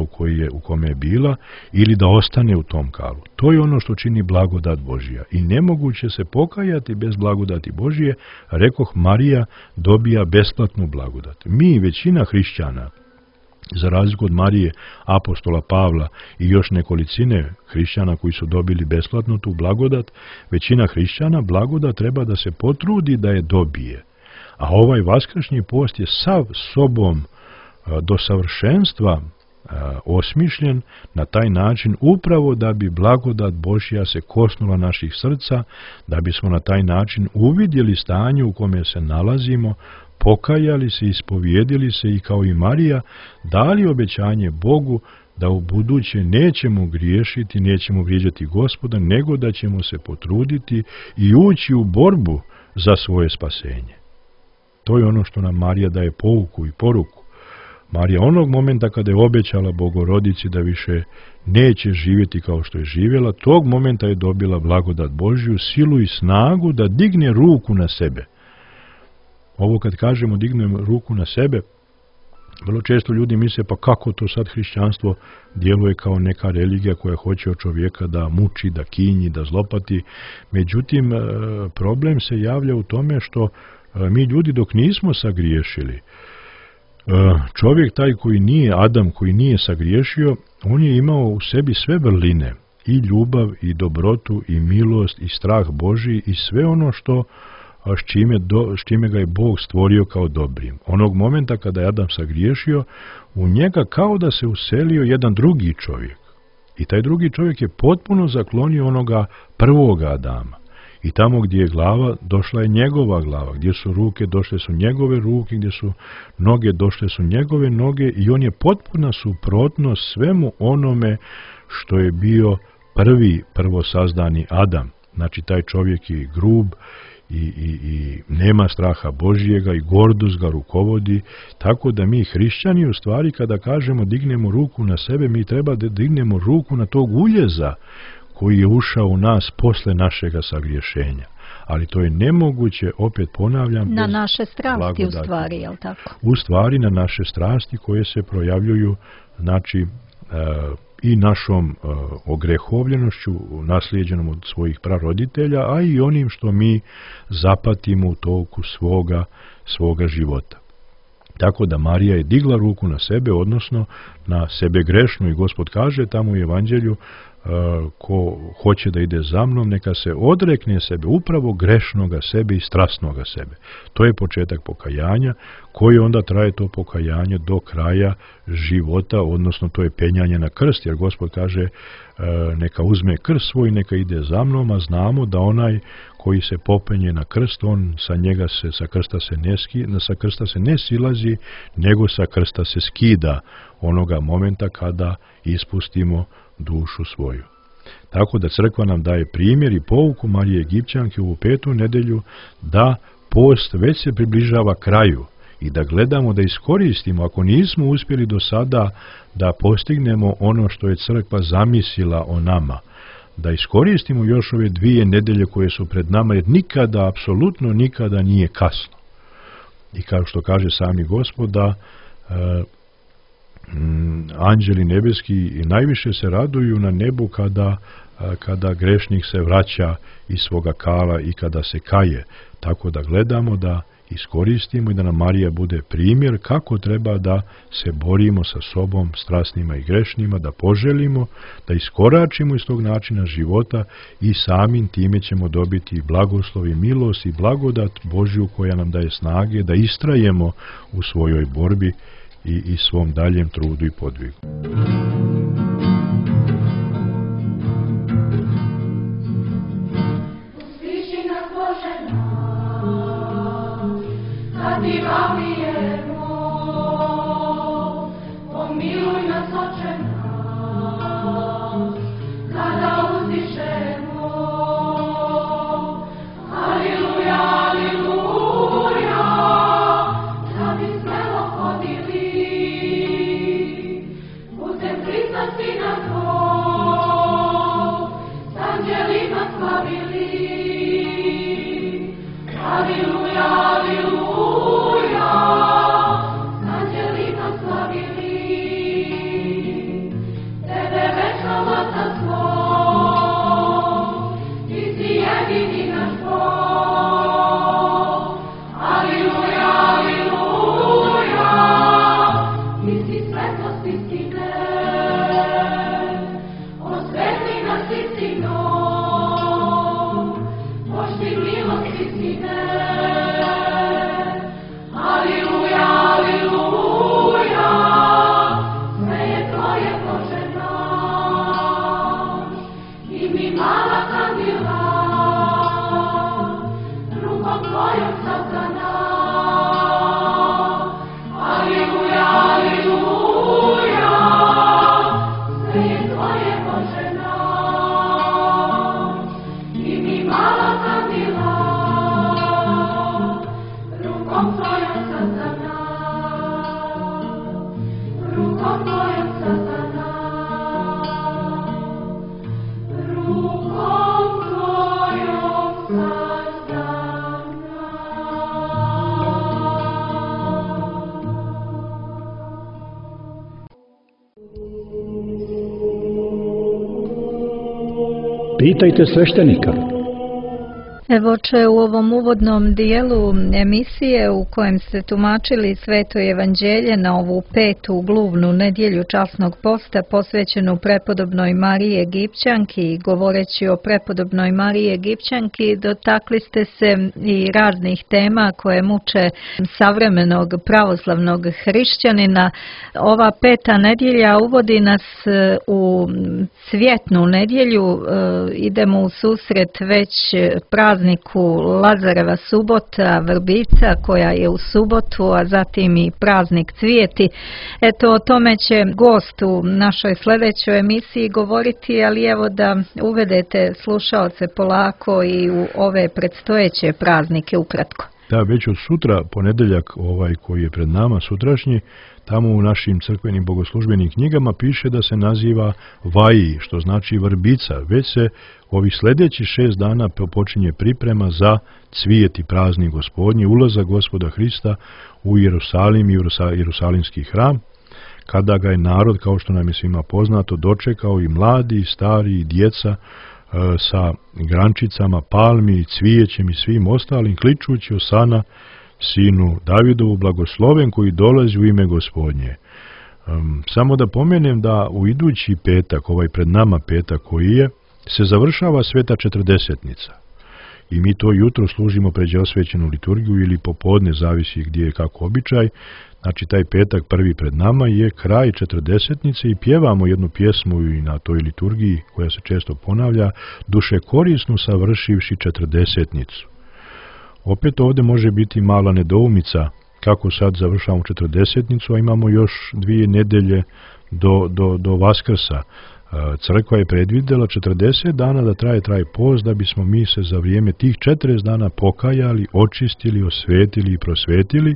u kome je bila ili da ostane u tom kalu. To je ono što čini blagodat Božja. I nemoguće se pokajati bez blagodati Božje. Rekoh, Marija dobija besplatnu blagodat. Mi, većina hrišćana, za razliku od Marije, apostola Pavla i još nekolicine hrišćana koji su dobili besplatnu tu blagodat, većina hrišćana blagodat treba da se potrudi da je dobije. A ovaj vaskršnji post je sav sobom do savršenstva osmišljen na taj način upravo da bi blagodat Božja se kosnula naših srca, da bismo na taj način uvidjeli stanje u kome se nalazimo, pokajali se, ispovijedili se i kao i Marija dali obećanje Bogu da u buduće nećemo griješiti, nećemo vrijeđati Gospoda, nego da ćemo se potruditi i ući u borbu za svoje spasenje. To je ono što nam Marija daje pouku i poruku. Marija onog momenta kada je obećala Bogorodici da više neće živjeti kao što je živjela, tog momenta je dobila blagodat Božju, silu i snagu da digne ruku na sebe. Ovo kad kažemo dignem ruku na sebe, vrlo često ljudi misle pa kako to sad hrišćanstvo djeluje kao neka religija koja hoće od čovjeka da muči, da kinji, da zlopati. Međutim, problem se javlja u tome što mi ljudi dok nismo sagriješili, čovjek taj koji nije Adam, koji nije sagriješio, on je imao u sebi sve vrline, i ljubav, i dobrotu, i milost, i strah Božji, i sve ono s čime ga je Bog stvorio kao dobrim. Onog momenta kada je Adam sagriješio, u njega kao da se uselio jedan drugi čovjek. I taj drugi čovjek je potpuno zaklonio onoga prvoga Adama. I tamo gdje je glava, došla je njegova glava. Gdje su ruke, došle su njegove ruke. Gdje su noge, došle su njegove noge. I on je potpuna suprotnost svemu onome što je bio prvo sazdani Adam. Znači, taj čovjek je grub i nema straha Božjega i gordost ga rukovodi. Tako da mi hrišćani u stvari kada kažemo dignemo ruku na sebe, mi treba da dignemo ruku na tog uljeza koji je ušao u nas posle našega sagriješenja. Ali to je nemoguće, opet ponavljam, na naše strasti u stvari, je li tako? U stvari na naše strasti koje se projavljuju, znači, i našom ogrehovljenošću naslijeđenom od svojih praroditelja, a i onim što mi zapatimo u toku svoga života. Tako da Marija je digla ruku na sebe, odnosno na sebe grešnu, i Gospod kaže tamo u Evanđelju, ko hoće da ide za mnom, neka se odrekne sebe, upravo grešnoga sebe i strasnoga sebe. To je početak pokajanja, koji onda traje to pokajanje do kraja života, odnosno to je penjanje na krst, jer Gospod kaže neka uzme krst svoj, neka ide za mnom, a znamo da onaj koji se popenje na krst, on sa krsta se ne silazi, nego sa krsta se skida onoga momenta kada ispustimo dušu svoju. Tako da crkva nam daje primjer i pouku Marije Egipćanke u 5. nedelju da post već se približava kraju i da gledamo da iskoristimo, ako nismo uspjeli do sada da postignemo ono što je crkva zamislila o nama, da iskoristimo još ove 2 nedelje koje su pred nama, jer nikada, apsolutno nikada nije kasno. I kao što kaže sami Gospod, da anđeli nebeski i najviše se raduju na nebu kada grešnik se vraća iz svoga kala i kada se kaje. Tako da gledamo da iskoristimo i da nam Marija bude primjer kako treba da se borimo sa sobom strasnima i grešnima, da poželimo, da iskoračimo iz tog načina života i samim time ćemo dobiti blagoslov i milost i blagodat Božju koja nam daje snage da istrajemo u svojoj borbi i svom daljem trudu i podvigu. Usliši nas Bože nas, kad ti vabijemo, pomiluj nas Oče nas, kada uzdišemo. Aliluja, aliluja, da bi smelo hodili putem Krista Sina Tvog, s anđelima slavili. Aliluja, aliluja. Pitajte sveštenika. Evo će u ovom uvodnom dijelu emisije u kojem ste tumačili Sveto evanđelje na ovu 5. gluvnu nedjelju časnog posta posvećenu prepodobnoj Mariji Egipćanki, govoreći o prepodobnoj Mariji Egipćanki dotakli ste se i raznih tema koje muče savremenog pravoslavnog hrišćanina. Ova 5. nedjelja uvodi nas u cvjetnu nedjelju, idemo u susret već prazniku Lazareva subota, vrbica koja je u subotu, a zatim i praznik cvijeti. Eto, o tome će gost u našoj sljedećoj emisiji govoriti, ali evo da uvedete slušaoce polako i u ove predstojeće praznike ukratko. Da, već od sutra, ponedeljak koji je pred nama, sutrašnji, tamo u našim crkvenim bogoslužbenim knjigama piše da se naziva Vaji, što znači vrbica. Već se ovih sljedećih 6 dana počinje priprema za cvijeti praznik Gospodnji, ulazak Gospoda Hrista u Jerusalim i Jerusalimski hram, kada ga je narod, kao što nam je svima poznato, dočekao i mladi, i stari, i djeca, sa grančicama, palmi, cvijećem i svim ostalim, kličući Osana, sinu Davidovu, blagosloven koji dolazi u ime Gospodnje. Samo da pomenem da u idući petak, ovaj pred nama petak koji je, se završava Sveta Četrdesetnica. I mi to jutro služimo pređe osvećenu liturgiju ili popodne, zavisi gdje je kako običaj. Znači taj petak prvi pred nama je kraj Četrdesetnice i pjevamo jednu pjesmu i na toj liturgiji koja se često ponavlja, duše korisnu savršivši Četrdesetnicu. Opet ovdje može biti mala nedoumica kako sad završavamo Četrdesetnicu, a imamo još 2 nedelje do Vaskrsa. Crkva je predvidjela 40 dana da traje post, da bismo mi se za vrijeme tih 40 dana pokajali, očistili, osvetili i prosvetili.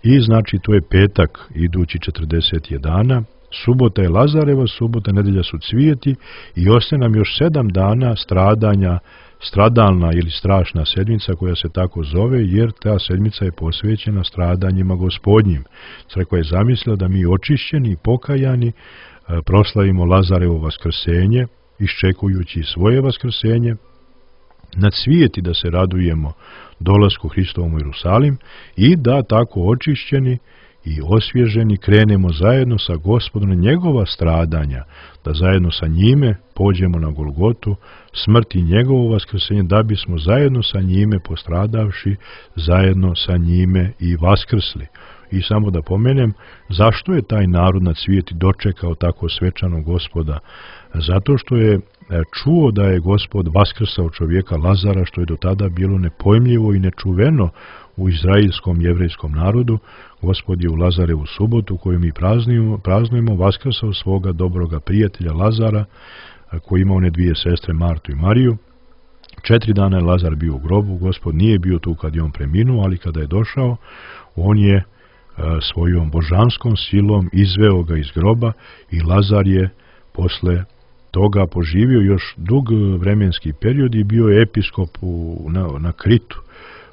I znači to je petak idući 40 dana, subota je Lazareva subota, nedelja su cvijeti i ostaje nam još 7 dana stradanja, stradalna ili strašna sedmica koja se tako zove, jer ta sedmica je posvećena stradanjima Gospodnjim. Crkva je zamislila da mi očišćeni i pokajani proslavimo Lazarevo vaskrsenje, iščekujući svoje vaskrsenje, na cvijeti da se radujemo dolasku Hristovom u Jerusalim i da tako očišćeni i osvježeni krenemo zajedno sa Gospodom na njegova stradanja, da zajedno sa njime pođemo na Golgotu, smrt i njegovo vaskrsenje, da bismo zajedno sa njime postradavši, zajedno sa njime i vaskrsli. I samo da pomenem, zašto je taj narod na cvijeti dočekao tako svečanog Gospoda? Zato što je čuo da je Gospod vaskrsao čovjeka Lazara, što je do tada bilo nepojmljivo i nečuveno u izraelskom jevrejskom narodu. Gospod je u Lazarevu subotu, koju mi praznujemo, vaskrsao svoga dobroga prijatelja Lazara, koji ima one 2 sestre, Martu i Mariju. 4 dana je Lazar bio u grobu, Gospod nije bio tu kad je on preminuo, ali kada je došao, on je svojom božanskom silom izveo ga iz groba i Lazar je posle toga poživio još dug vremenski period i bio je episkop na Kritu,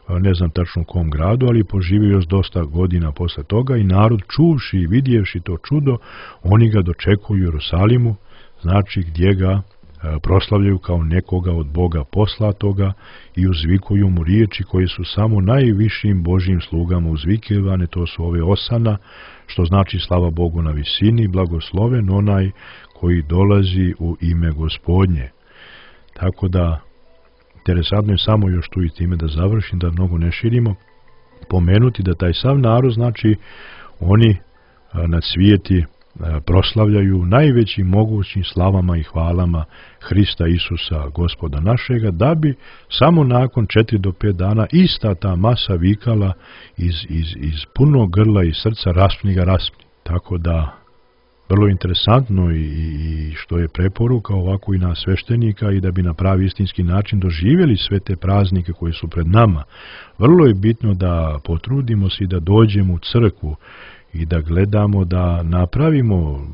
ne znam tačno u kom gradu, ali poživio još dosta godina posle toga i narod čuvši i vidjevši to čudo, oni ga dočekuju u Jerusalimu, znači gdje ga proslavljaju kao nekoga od Boga poslatoga i uzvikuju mu riječi koje su samo najvišim Božjim slugama uzvikivane, to su ove Osana, što znači slava Bogu na visini, blagosloven onaj koji dolazi u ime Gospodnje. Tako da, interesantno je samo još tu i time da završim, da mnogo ne širimo, pomenuti da taj sav narod, znači oni na cvijeti proslavljaju najvećim mogućim slavama i hvalama Hrista Isusa, Gospoda našega, da bi samo nakon 4 do 5 dana ista ta masa vikala iz punog grla i srca raspni ga raspni. Tako da, vrlo interesantno i što je preporuka ovako i na sveštenika i da bi na pravi istinski način doživjeli sve te praznike koji su pred nama. Vrlo je bitno da potrudimo se i da dođemo u crkvu i da gledamo da napravimo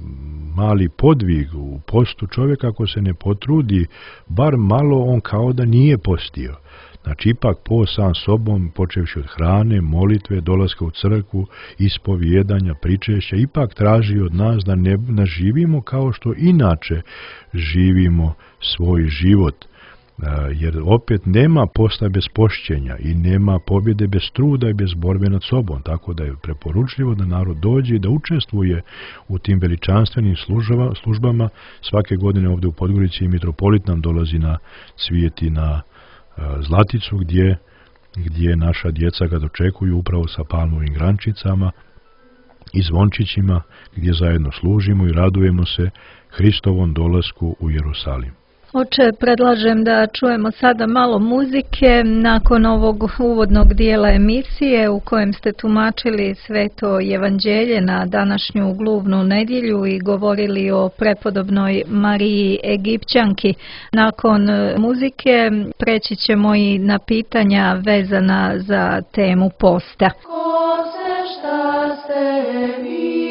mali podvig u postu. Čovjek ako se ne potrudi, bar malo, on kao da nije postio. Znači, ipak po sam sobom, počevši od hrane, molitve, dolaska u crkvu, ispovijedanja, pričešća, ipak traži od nas da ne živimo kao što inače živimo svoj život. Jer opet nema posta bez pošćenja i nema pobjede bez truda i bez borbe nad sobom, tako da je preporučljivo da narod dođe i da učestvuje u tim veličanstvenim službama. Svake godine ovdje u Podgorici mitropolit nam dolazi na Cvijeti na Zlaticu, gdje naša djeca ga dočekuju upravo sa palmovim grančicama i zvončićima, gdje zajedno služimo i radujemo se Hristovom dolasku u Jerusalim. Oče, predlažem da čujemo sada malo muzike nakon ovog uvodnog dijela emisije u kojem ste tumačili Sveto evanđelje na današnju gluvnu nedjelju i govorili o prepodobnoj Mariji Egipćanki. Nakon muzike preći ćemo i na pitanja vezana za temu posta. Ko se šta se vi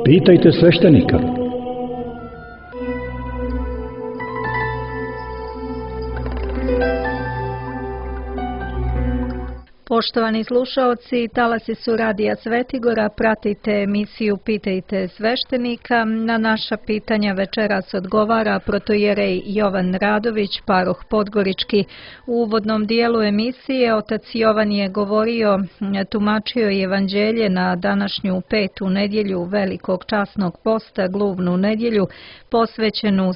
Pitajte sveštenika. Poštovani slušaoci, talasi su Radija Svetigora, pratite emisiju Pitajte sveštenika. Na naša pitanja večeras odgovara protoijerej Jovan Radović, paroh Podgorički. U uvodnom dijelu emisije otac Jovan je govorio, tumačio evanđelje na današnju petu nedjelju Velikog časnog posta, gluvnu nedjelju, posvećenu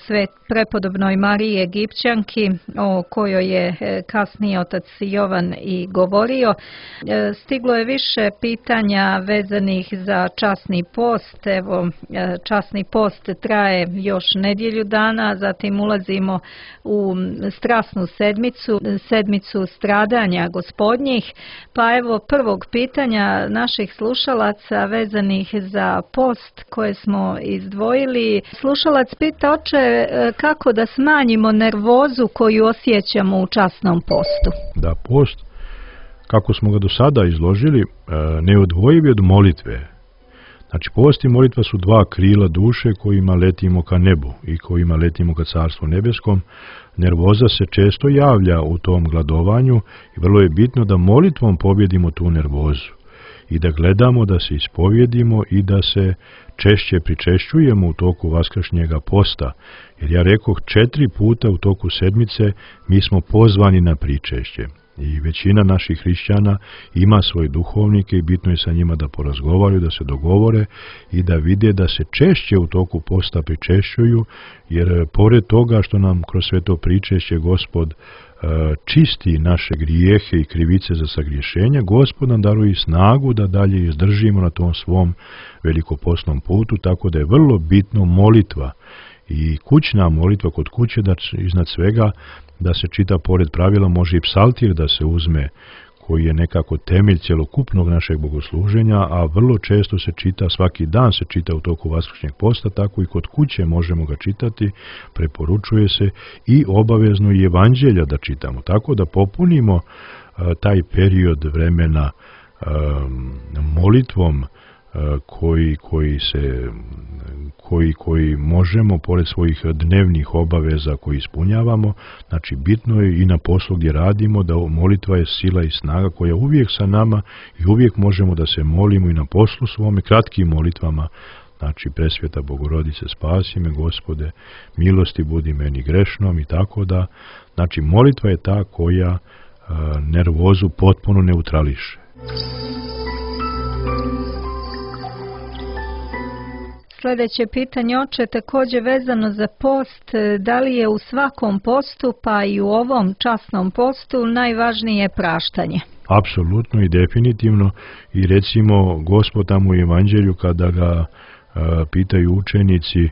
prepodobnoj Mariji Egipćanki, o kojoj je kasnije otac Jovan i govorio. Stiglo je više pitanja vezanih za časni post. Evo, časni post traje još nedjelju dana, zatim ulazimo u strasnu sedmicu stradanja gospodnjih. Pa evo prvog pitanja naših slušalaca vezanih za post koje smo izdvojili. Slušalac pita, oče, kako da smanjimo nervozu koju osjećamo u časnom postu? Da, post, kako smo ga do sada izložili, neodvojiv je od molitve. Znači, post i molitva su dva krila duše kojima letimo ka nebu i kojima letimo ka Carstvu nebeskom. Nervoza se često javlja u tom gladovanju i vrlo je bitno da molitvom pobjedimo tu nervozu i da gledamo da se ispovjedimo i da se češće pričešćujemo u toku vaskršnjega posta. Jer ja rekoh 4 puta u toku sedmice mi smo pozvani na pričešće. I većina naših hrišćana ima svoje duhovnike i bitno je sa njima da porazgovaraju, da se dogovore i da vide da se češće u toku posta pričešćuju, jer pored toga što nam kroz sve to pričešće Gospod čisti naše grijehe i krivice za sagriješenja, Gospod nam daruje snagu da dalje izdržimo na tom svom velikopostnom putu, tako da je vrlo bitno molitva i kućna molitva kod kuće, da iznad svega da se čita pored pravila, može i psaltir da se uzme, koji je nekako temelj cjelokupnog našeg bogosluženja, a vrlo često se čita, svaki dan se čita u toku vaskršnjeg posta, tako i kod kuće možemo ga čitati, preporučuje se i obavezno i evanđelja da čitamo, tako da popunimo taj period vremena molitvom koji možemo, pored svojih dnevnih obaveza koji ispunjavamo. Znači, bitno je i na poslu gdje radimo da molitva je sila i snaga koja uvijek sa nama i uvijek možemo da se molimo i na poslu svome kratkim molitvama. Znači, presvjeta Bogorodice, spasi me, Gospode, milosti budi meni grešnom i tako da. Znači, molitva je ta koja nervozu potpuno neutrališe. Sljedeće pitanje, oče, također vezano za post, da li je u svakom postu, pa i u ovom časnom postu, najvažnije praštanje? Apsolutno i definitivno. I recimo, Gospod tamo u evanđelju kada ga pitaju učenici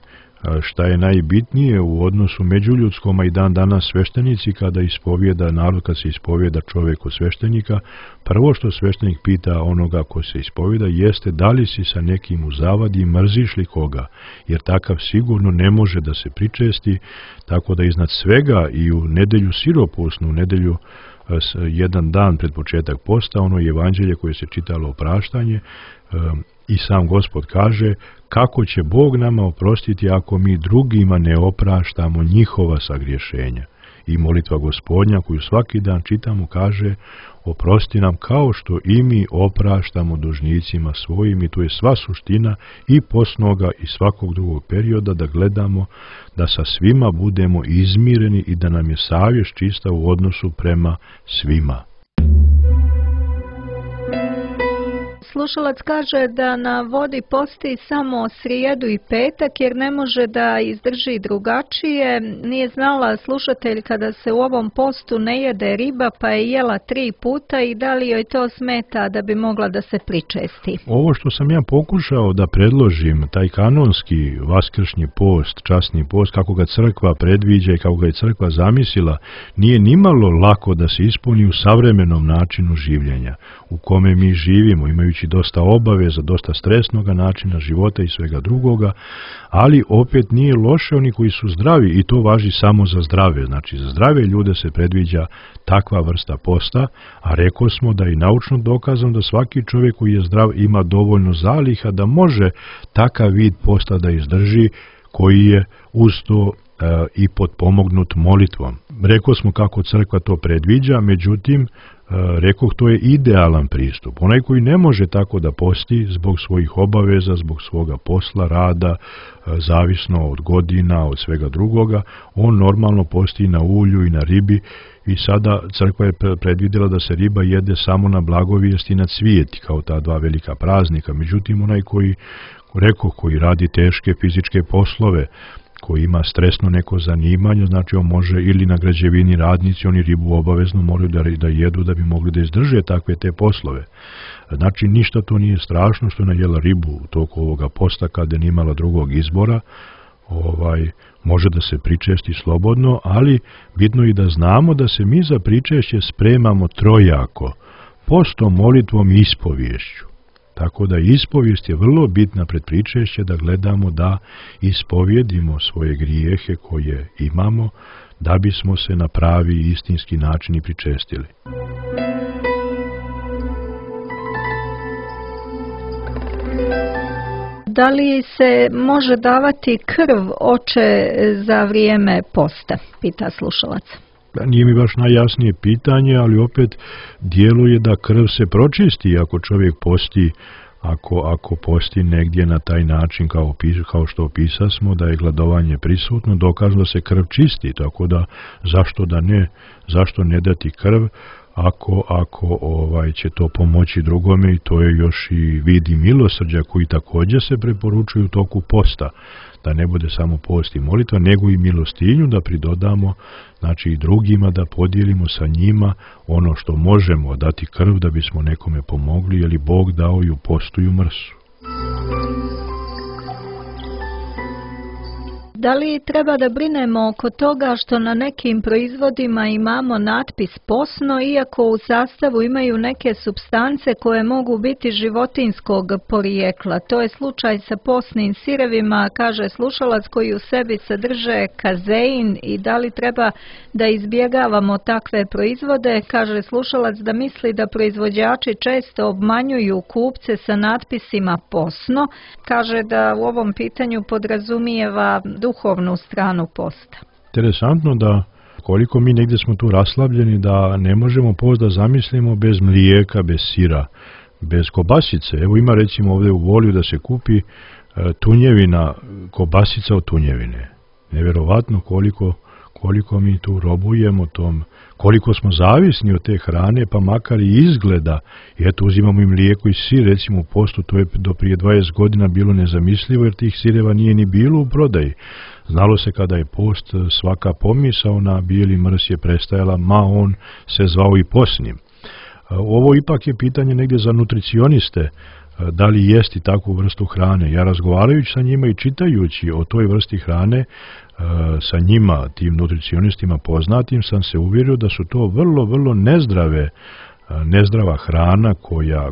šta je najbitnije u odnosu međuljudskom, a i dan danas sveštenici kada ispovjeda narod, kad se ispovjeda čovjek od sveštenika, prvo što sveštenik pita onoga ko se ispovjeda jeste da li si sa nekim u zavadi i mrziš li koga, jer takav sigurno ne može da se pričesti, tako da iznad svega i u nedjelju siropusnu, u nedjelju jedan dan pred početak posta, ono evanđelje koje se čitalo opraštanje, i sam Gospod kaže kako će Bog nama oprostiti ako mi drugima ne opraštamo njihova sagriješenja. I molitva Gospodnja koju svaki dan čitamo kaže oprosti nam kao što i mi opraštamo dužnicima svojim, i tu je sva suština i postnoga i svakog drugog perioda, da gledamo da sa svima budemo izmireni i da nam je savjest čista u odnosu prema svima. Slušalac kaže da na vodi posti samo srijedu i petak jer ne može da izdrži drugačije. Nije znala slušateljka da se u ovom postu ne jede riba, pa je jela 3 puta i da li joj to smeta da bi mogla da se pričesti? Ovo što sam ja pokušao da predložim, taj kanonski vaskršnji post, časni post, kako ga crkva predviđa i kako ga je crkva zamislila, nije nimalo lako da se ispuni u savremenom načinu življenja u kome mi živimo, imajući dosta obaveza, dosta stresnoga načina života i svega drugoga, ali opet nije loše oni koji su zdravi, i to važi samo za zdrave. Znači, za zdrave ljude se predviđa takva vrsta posta, a rekao smo da je naučno dokazano da svaki čovjek koji je zdrav ima dovoljno zaliha da može takav vid posta da izdrži, koji je uz to i potpomognut molitvom. Rekao smo kako crkva to predviđa, međutim, rekoh, to je idealan pristup. Onaj koji ne može tako da posti zbog svojih obaveza, zbog svoga posla, rada, zavisno od godina, od svega drugoga, on normalno posti na ulju i na ribi i sada crkva je predvidjela da se riba jede samo na blagovijest i na cvijeti, kao ta dva velika praznika. Međutim, onaj koji radi teške fizičke poslove, koji ima stresno neko zanimanje, znači on može, ili na građevini radnici, oni ribu obavezno moraju da jedu da bi mogli da izdrže takve te poslove. Znači ništa to nije strašno što je najela ribu u toku ovoga posta kada je nimala drugog izbora, može da se pričesti slobodno, ali bitno je da znamo da se mi za pričešće spremamo trojako, postom, molitvom i ispoviješću. Tako da ispovijest je vrlo bitna pred pričešće, da gledamo da ispovjedimo svoje grijehe koje imamo, da bismo se na pravi i istinski način i pričestili. Da li se može davati krv, oče, za vrijeme posta? Pita slušalac. Nije mi baš najjasnije pitanje, ali opet djeluje da krv se pročisti ako čovjek posti, ako posti negdje na taj način kao što opisasmo, da je gladovanje prisutno, dokazano da se krv čisti, tako da zašto ne dati krv ako će to pomoći drugome, i to je još i vid i milosrđa koji također se preporučuju u toku posta, da ne bude samo post i molitva, nego i milostinju da pridodamo, znači i drugima, da podijelimo sa njima ono što možemo, dati krv da bismo nekome pomogli, jer Bog dao i u postu i u mrsu. Da li treba da brinemo oko toga što na nekim proizvodima imamo natpis posno, iako u sastavu imaju neke supstance koje mogu biti životinjskog porijekla? To je slučaj sa posnim sirevima, kaže slušalac, koji u sebi sadrže kazein, i da li treba da izbjegavamo takve proizvode? Kaže slušalac da misli da proizvođači često obmanjuju kupce sa natpisima posno. Kaže da u ovom pitanju podrazumijeva duhovnu stranu posta. Interesantno da koliko mi negdje smo tu raslavljeni da ne možemo post da zamislimo bez mlijeka, bez sira, bez kobasice. Evo ima recimo ovdje u Volju da se kupi tunjevina, kobasica od tunjevine. Nevjerovatno koliko mi tu robujemo tom, koliko smo zavisni od te hrane, pa makar i izgleda. I eto, uzimamo i mlijeko i sir, recimo u postu, to je do prije 20 godina bilo nezamislivo, jer tih sireva nije ni bilo u prodaji. Znalo se kada je post, svaka pomisao na bijeli mrs je prestajala, ma on se zvao i posnim. Ovo ipak je pitanje negdje za nutricioniste, da li jesti takvu vrstu hrane. Ja razgovarajući sa njima i čitajući o toj vrsti hrane, sa njima, tim nutricionistima poznatim, sam se uvjerio da su to vrlo, vrlo nezdrava hrana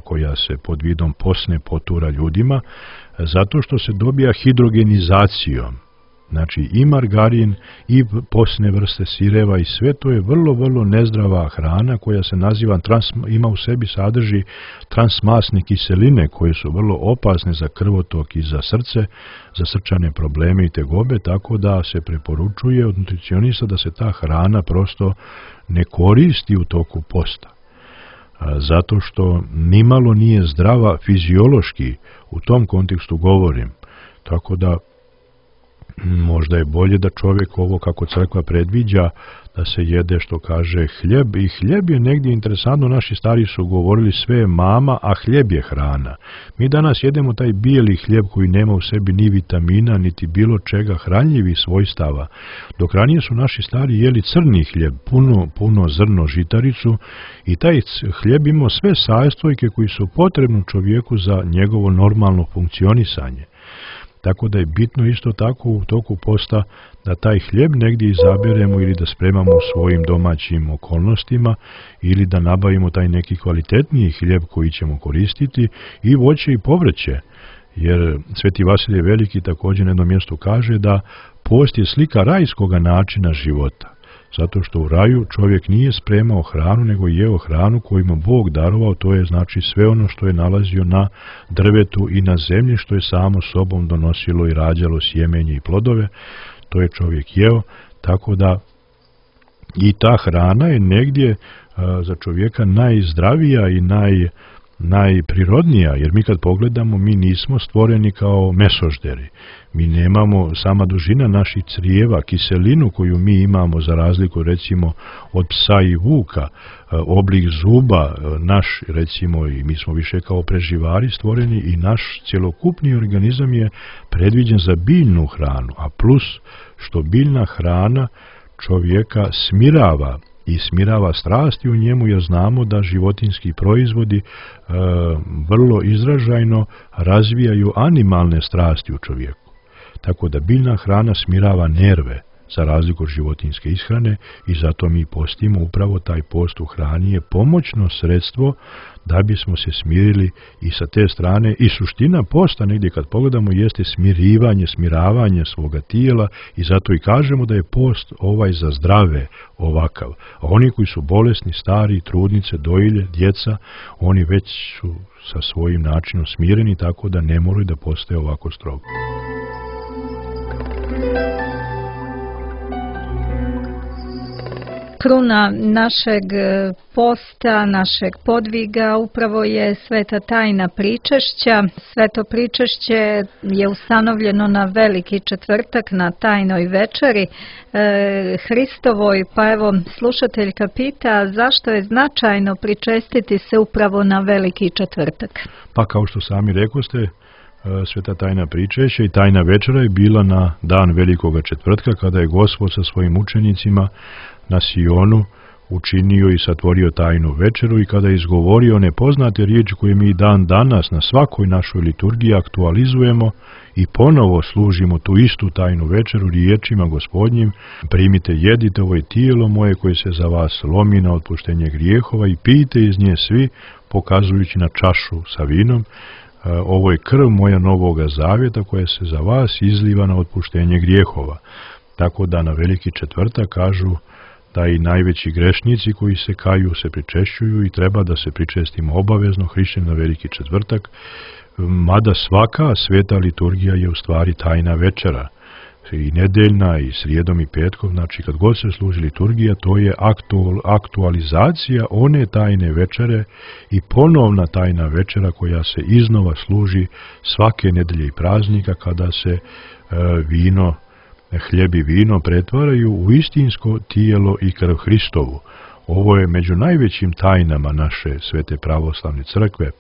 koja se pod vidom posne potura ljudima, zato što se dobija hidrogenizacijom. Znači i margarin i posne vrste sireva i sve to je vrlo, vrlo nezdrava hrana koja se naziva, ima u sebi, sadrži transmasne kiseline koje su vrlo opasne za krvotok i za srce, za srčane probleme i tegobe, tako da se preporučuje od nutricionista da se ta hrana prosto ne koristi u toku posta. Zato što nimalo nije zdrava fiziološki, u tom kontekstu govorim. Tako da možda je bolje da čovjek ovo, kako crkva predviđa, da se jede, što kaže, hljeb. I hljeb je negdje interesantno, naši stari su govorili sve je mama, a hljeb je hrana. Mi danas jedemo taj bijeli hljeb koji nema u sebi ni vitamina, niti bilo čega hranljivih svojstava. Dok ranije su naši stari jeli crni hljeb, puno zrno, žitaricu, i taj hljeb imao sve sastojke koji su potrebni čovjeku za njegovo normalno funkcionisanje. Tako da je bitno isto tako u toku posta da taj hljeb negdje izaberemo ili da spremamo u svojim domaćim okolnostima ili da nabavimo taj neki kvalitetniji hljeb koji ćemo koristiti, i voće i povrće. Jer Sveti Vasilije Veliki također na jednom mjestu kaže da post je slika rajskoga načina života. Zato što u raju čovjek nije spremao hranu, nego jeo hranu koju mu Bog darovao, to je znači sve ono što je nalazio na drvetu i na zemlji, što je samo sobom donosilo i rađalo sjemenje i plodove, to je čovjek jeo, tako da i ta hrana je negdje za čovjeka najzdravija i najprirodnija, jer mi kad pogledamo, mi nismo stvoreni kao mesožderi. Mi nemamo, sama dužina naših crijeva, kiselinu koju mi imamo za razliku recimo od psa i vuka, oblik zuba naš, recimo, i mi smo više kao preživari stvoreni i naš cjelokupni organizam je predviđen za biljnu hranu, a plus što biljna hrana čovjeka smirava i smirava strasti u njemu, jer znamo da životinjski proizvodi vrlo izražajno razvijaju animalne strasti u čovjeku. Tako da biljna hrana smirava nerve za razliku od životinjske ishrane i zato mi postimo. Upravo taj post u hrani je pomoćno sredstvo da bismo se smirili i sa te strane. I suština posta, negdje kad pogledamo, jeste smiravanje svoga tijela i zato i kažemo da je post ovaj za zdrave ovakav. A oni koji su bolesni, stari, trudnice, dojilje, djeca, oni već su sa svojim načinom smireni, tako da ne moraju da postaje ovako strogo. Kruna našeg posta, našeg podviga upravo je sveta tajna pričešća. Sveto pričešće je ustanovljeno na Veliki četvrtak, na tajnoj večeri Hristovoj, pa evo slušateljka pita zašto je značajno pričestiti se upravo na Veliki četvrtak. Pa kao što sami rekoste, sveta tajna pričešća i tajna večera je bila na dan Velikoga četvrtka, kada je Gospod sa svojim učenicima na Sionu učinio i satvorio tajnu večeru i kada je izgovorio nepoznate riječi koje mi dan danas na svakoj našoj liturgiji aktualizujemo i ponovo služimo tu istu tajnu večeru riječima Gospodnjim: primite, jedite, ovo je tijelo moje koje se za vas lomi na otpuštenje grijehova i pijte iz nje svi, pokazujući na čašu sa vinom. Ovo je krv moja novoga zavjeta koja se za vas izliva na otpuštenje grijehova. Tako da na Veliki četvrtak kažu da i najveći grešnici koji se kaju se pričešćuju i treba da se pričestimo obavezno hrišćan na Veliki četvrtak, mada svaka sveta liturgija je u stvari tajna večera. I nedeljna, i srijedom, i petkom, znači kad god se služi liturgija, to je aktualizacija one tajne večere i ponovna tajna večera koja se iznova služi svake nedelje i praznika kada se hljeb i vino pretvaraju u istinsko tijelo i krv Hristovu. Ovo je među najvećim tajnama naše svete pravoslavne crkve.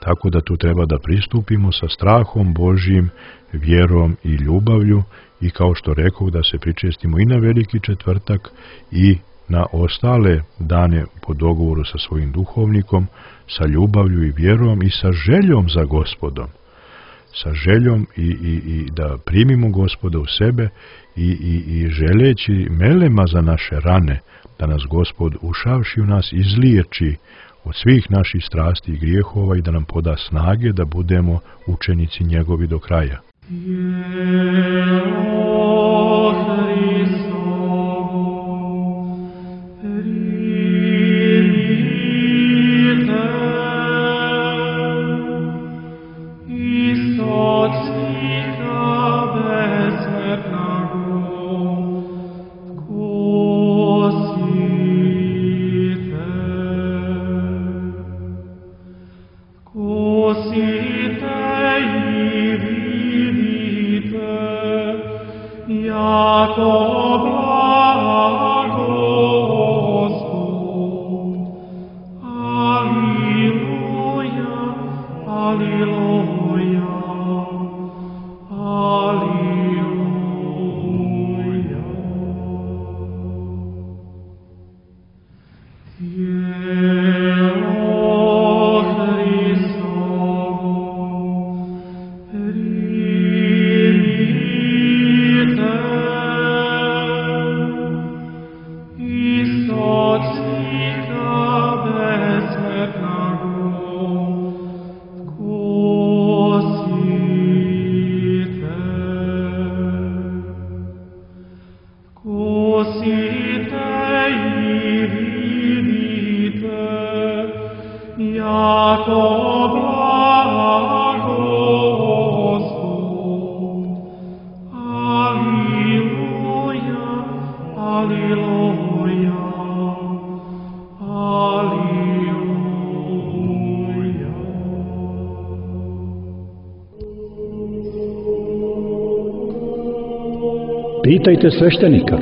Tako da tu treba da pristupimo sa strahom Božjim, vjerom i ljubavlju i kao što rekao da se pričestimo i na Veliki četvrtak i na ostale dane po dogovoru sa svojim duhovnikom, sa ljubavlju i vjerom i sa željom za Gospodom. Sa željom i da primimo Gospoda u sebe i želeći melema za naše rane, da nas Gospod ušavši u nas izliječi od svih naših strasti i grijehova i da nam poda snage da budemo učenici njegovi do kraja. Pitajte sveštenika.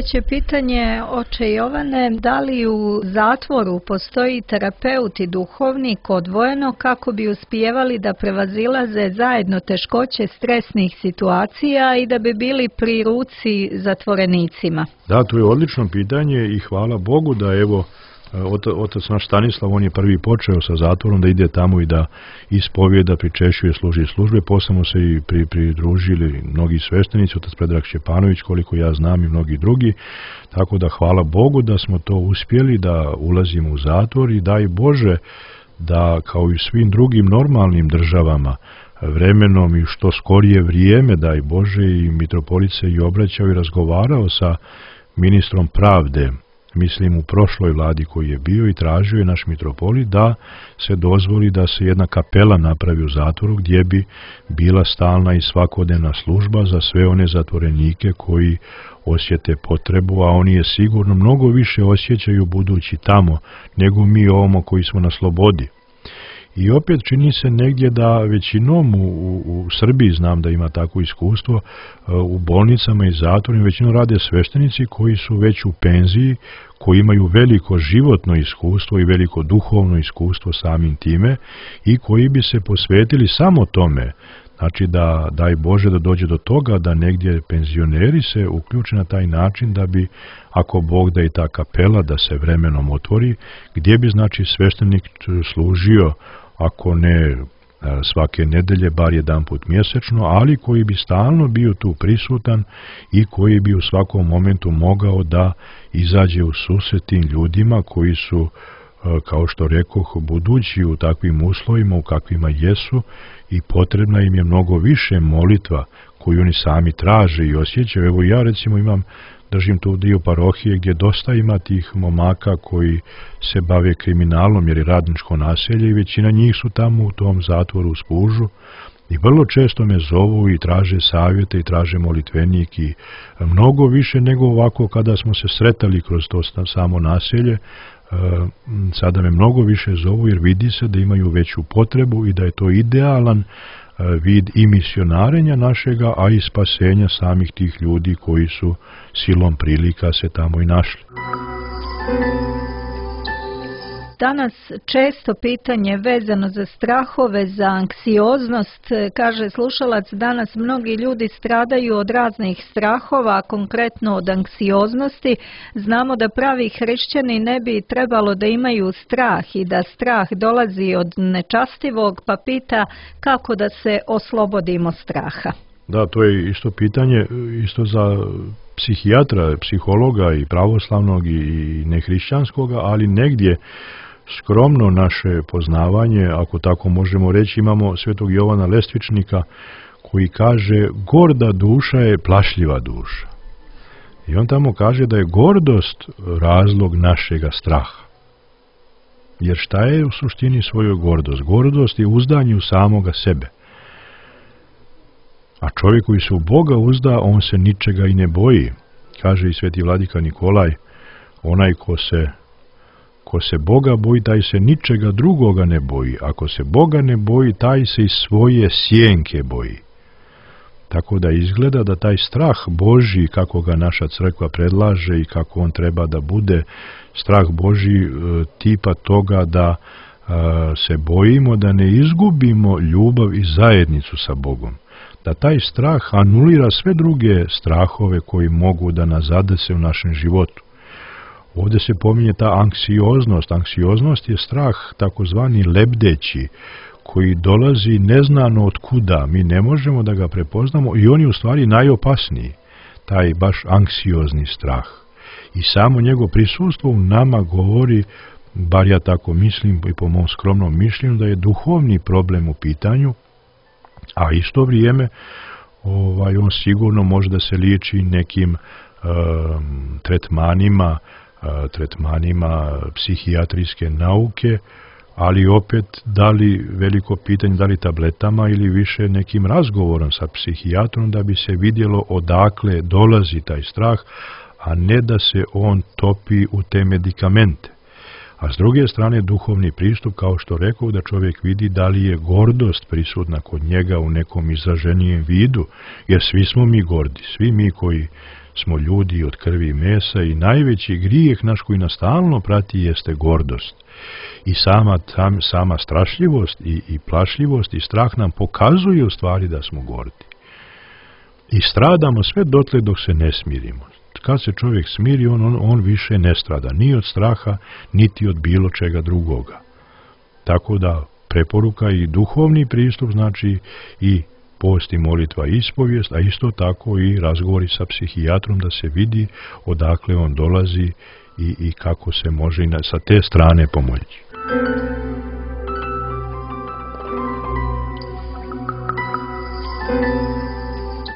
Sljedeće pitanje, oče Jovane, da li u zatvoru postoji terapeut i duhovnik odvojeno kako bi uspijevali da prevazilaze zajedno teškoće stresnih situacija i da bi bili pri ruci zatvorenicima? Da, to je odlično pitanje i hvala Bogu da evo otac naš Stanislav, on je prvi počeo sa zatvorom da ide tamo i da ispovijeda, pričešćuje, služi službe. Posle se i pridružili mnogi sveštenici, otac Predrag Šćepanović, koliko ja znam, i mnogi drugi. Tako da hvala Bogu da smo to uspjeli, da ulazimo u zatvor i daj Bože da kao i svim drugim normalnim državama vremenom i što skorije vrijeme, daj Bože, i mitropolit se i obraćao i razgovarao sa ministrom pravde, mislim u prošloj vladi koji je bio, i tražio je naš mitropolit da se dozvoli da se jedna kapela napravi u zatvoru gdje bi bila stalna i svakodnevna služba za sve one zatvorenike koji osjete potrebu, a oni je sigurno mnogo više osjećaju budući tamo nego mi ovamo koji smo na slobodi. I opet čini se negdje da većinom u Srbiji, znam da ima takvo iskustvo, u bolnicama i zatvorima većinom rade sveštenici koji su već u penziji, koji imaju veliko životno iskustvo i veliko duhovno iskustvo samim time i koji bi se posvetili samo tome. Znači da, daj Bože, da dođe do toga da negdje penzioneri se uključe na taj način da bi, ako Bog da i ta kapela da se vremenom otvori, gdje bi znači sveštenik služio, ako ne svake nedelje, bar jedanput mjesečno, ali koji bi stalno bio tu prisutan i koji bi u svakom momentu mogao da izađe u susret tim ljudima koji su, kao što rekoh, budući u takvim uslovima u kakvima jesu, i potrebna im je mnogo više molitva koju oni sami traže i osjećaju. Evo ja recimo držim tu dio parohije gdje dosta ima tih momaka koji se bave kriminalom jer je radničko naselje i većina njih su tamo u tom zatvoru u Spužu i vrlo često me zovu i traže savjete i traže molitvenik i mnogo više nego ovako kada smo se sretali kroz to samo naselje. Sada me mnogo više zovu jer vidi se da imaju veću potrebu i da je to idealan vid i misionarenja našega, a i spasenja samih tih ljudi koji su silom prilika se tamo i našli. Danas često pitanje vezano za strahove, za anksioznost, kaže slušalac, danas mnogi ljudi stradaju od raznih strahova, konkretno od anksioznosti. Znamo da pravi hrišćani ne bi trebalo da imaju strah i da strah dolazi od nečastivog, pa pita kako da se oslobodimo straha. Da, to je isto pitanje, isto za psihijatra, psihologa i pravoslavnog i nehrišćanskoga, ali negdje skromno naše poznavanje, ako tako možemo reći, imamo svetog Jovana Lestvičnika koji kaže gorda duša je plašljiva duša. I on tamo kaže da je gordost razlog našega straha. Jer šta je u suštini svojoj gordost? Gordost je uzdanje u samoga sebe. A čovjek koji se u Boga uzda, on se ničega i ne boji. Kaže i sveti vladika Nikolaj, onaj ko se Boga boji, taj se ničega drugoga ne boji. Ako se Boga ne boji, taj se i svoje sjenke boji. Tako da izgleda da taj strah Božji, kako ga naša crkva predlaže i kako on treba da bude, strah Božji tipa toga da se bojimo da ne izgubimo ljubav i zajednicu sa Bogom. Da taj strah anulira sve druge strahove koji mogu da nas zadese u našem životu. Ovdje se pominje ta anksioznost. Anksioznost je strah takozvani lebdeći, koji dolazi neznano od kuda. Mi ne možemo da ga prepoznamo i on je u stvari najopasniji, taj baš anksiozni strah. I samo njegovo prisustvo u nama govori, bar ja tako mislim i po mom skromnom mišljenju, da je duhovni problem u pitanju, a isto vrijeme on sigurno može da se liječi nekim tretmanima psihijatrijske nauke, ali opet da li veliko pitanje, da li tabletama ili više nekim razgovorom sa psihijatrom da bi se vidjelo odakle dolazi taj strah, a ne da se on topi u te medikamente. A s druge strane duhovni pristup, kao što rekao, da čovjek vidi da li je gordost prisutna kod njega u nekom izraženijem vidu, jer svi smo mi gordi, svi mi koji smo ljudi od krvi i mesa i najveći grijeh naš koji nas stalno prati jeste gordost. I sama strašljivost i plašljivost i strah nam pokazuje u stvari da smo gordi. I stradamo sve dotle dok se ne smirimo. Kad se čovjek smiri, on više ne strada, ni od straha, niti od bilo čega drugoga. Tako da preporuka i duhovni pristup, znači i post i molitva i ispovijest, a isto tako i razgovori sa psihijatrom da se vidi odakle on dolazi i kako se može i sa te strane pomoći.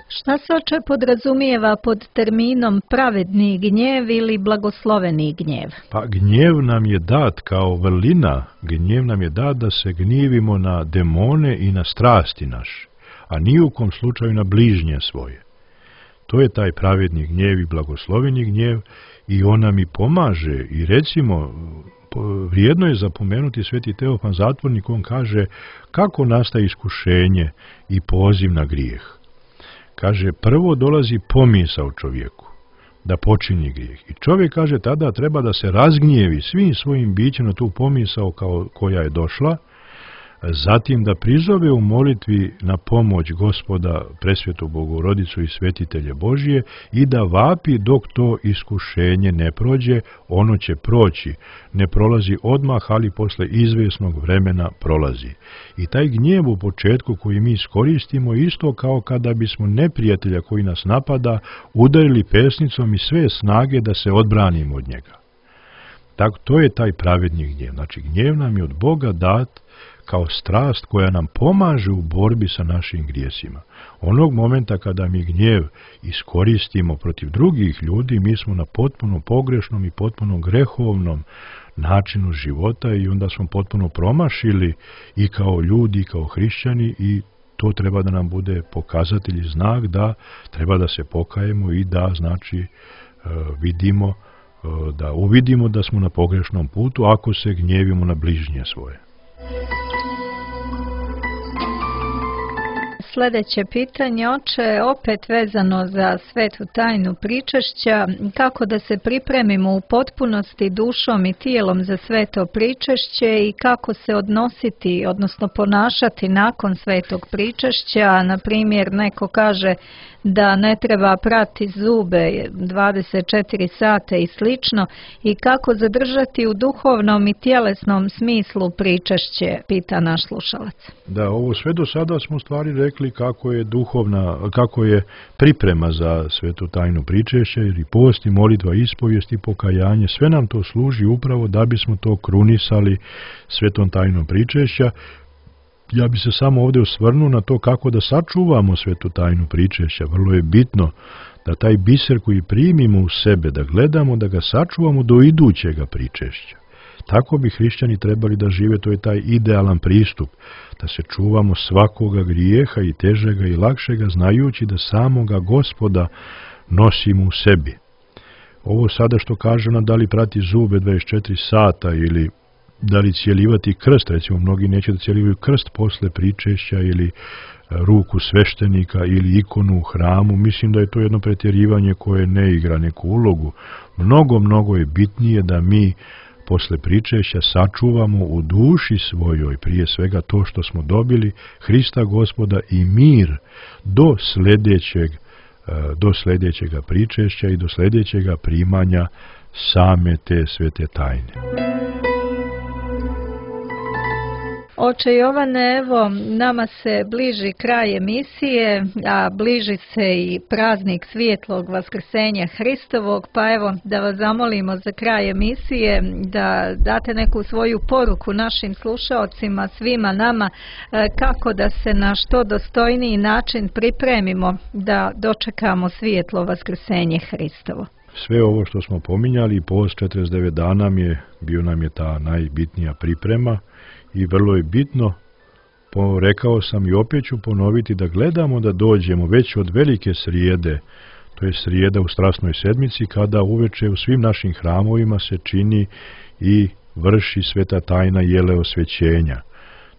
Šta se oče podrazumijeva pod terminom pravedni gnjev ili blagosloveni gnjev? Pa gnjev nam je dat kao vrlina, gnjev nam je dat da se gnjevimo na demone i na strasti naše, a ni u kom slučaju na bližnje svoje. To je taj pravedni gnjev i blagosloveni gnjev i on nam i pomaže. I recimo, vrijedno je zapomenuti Sveti Teofan Zatvornik, on kaže kako nastaje iskušenje i poziv na grijeh. Kaže, prvo dolazi pomisao čovjeku da počini grijeh. I čovjek, kaže, tada treba da se razgnjevi svim svojim bićem na tu pomisao koja je došla, zatim da prizove u molitvi na pomoć Gospoda, Presvetu Bogorodicu i Svetitelje Božije i da vapi dok to iskušenje ne prođe, ono će proći. Ne prolazi odmah, ali posle izvjesnog vremena prolazi. I taj gnjev u početku koji mi iskoristimo isto kao kada bismo neprijatelja koji nas napada udarili pesnicom i sve snage da se odbranimo od njega. Tako, to je taj pravedni gnjev. Znači, gnjev nam je od Boga dat kao strast koja nam pomaže u borbi sa našim grijesima. Onog momenta kada mi gnjev iskoristimo protiv drugih ljudi, mi smo na potpuno pogrešnom i potpuno grehovnom načinu života i onda smo potpuno promašili i kao ljudi i kao hrišćani i to treba da nam bude pokazatelj i znak da treba da se pokajemo i da znači vidimo, da uvidimo da smo na pogrešnom putu ako se gnjevimo na bližnje svoje. Sljedeće pitanje, oče, opet vezano za svetu tajnu pričešća, kako da se pripremimo u potpunosti dušom i tijelom za sveto pričešće i kako se odnositi, odnosno ponašati nakon svetog pričešća. Na primjer, neko kaže da ne treba prati zube 24 sata i slično, i kako zadržati u duhovnom i tjelesnom smislu pričešće, pita naš slušalac. Da, ovo sve do sada smo stvari rekli kako je priprema za svetu tajnu pričešća, jer i post i molitva, ispovijest i pokajanje, sve nam to služi upravo da bismo to krunisali svetom tajnom pričešća. Ja bi se samo ovdje osvrnuo na to kako da sačuvamo svetu tajnu pričešća. Vrlo je bitno da taj biser koji primimo u sebe, da gledamo, da ga sačuvamo do idućega pričešća. Tako bi hrišćani trebali da žive, to je taj idealan pristup, da se čuvamo svakoga grijeha i težega i lakšega, znajući da samoga Gospoda nosimo u sebi. Ovo sada što kaže nam da li prati zube 24 sata ili da li cijelivati krst, recimo mnogi neće da cijelivaju krst posle pričešća ili ruku sveštenika ili ikonu u hramu. Mislim da je to jedno pretjerivanje koje ne igra neku ulogu. Mnogo je bitnije da mi posle pričešća sačuvamo u duši svojoj prije svega to što smo dobili, Hrista Gospoda i mir do sljedećega pričešća i do sljedećega primanja same te svete tajne. Oče Jovane, evo, nama se bliži kraj emisije, a bliži se i praznik svijetlog vaskrsenja Hristovog, pa evo da vas zamolimo za kraj emisije da date neku svoju poruku našim slušaocima, svima nama, kako da se na što dostojniji način pripremimo da dočekamo svijetlo vaskrsenje Hristovo. Sve ovo što smo pominjali, post 49 dana bio nam je ta najbitnija priprema. I vrlo je bitno, rekao sam i opet ću ponoviti, da gledamo da dođemo već od velike srijede, to je srijeda u Strasnoj sedmici, kada uveče u svim našim hramovima se čini i vrši sveta tajna jeleosvećenja.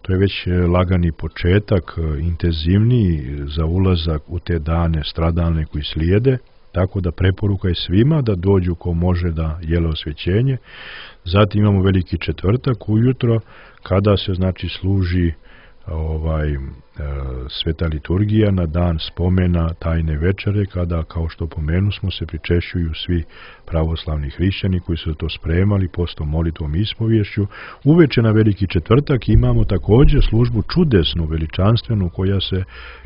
To je već lagani početak, intenzivniji za ulazak u te dane stradalne koji slijede, tako da preporuka je svima da dođu ko može da jeleosvećenje. Zatim imamo Veliki četvrtak ujutro, kada se znači služi sveta liturgija na dan spomena tajne večere, kada, kao što pomenu smo, se pričešćuju svi pravoslavni hrišćani koji su to spremali postom, molitvom i ispovješću. Uveče na Veliki četvrtak imamo također službu čudesnu, veličanstvenu, koja se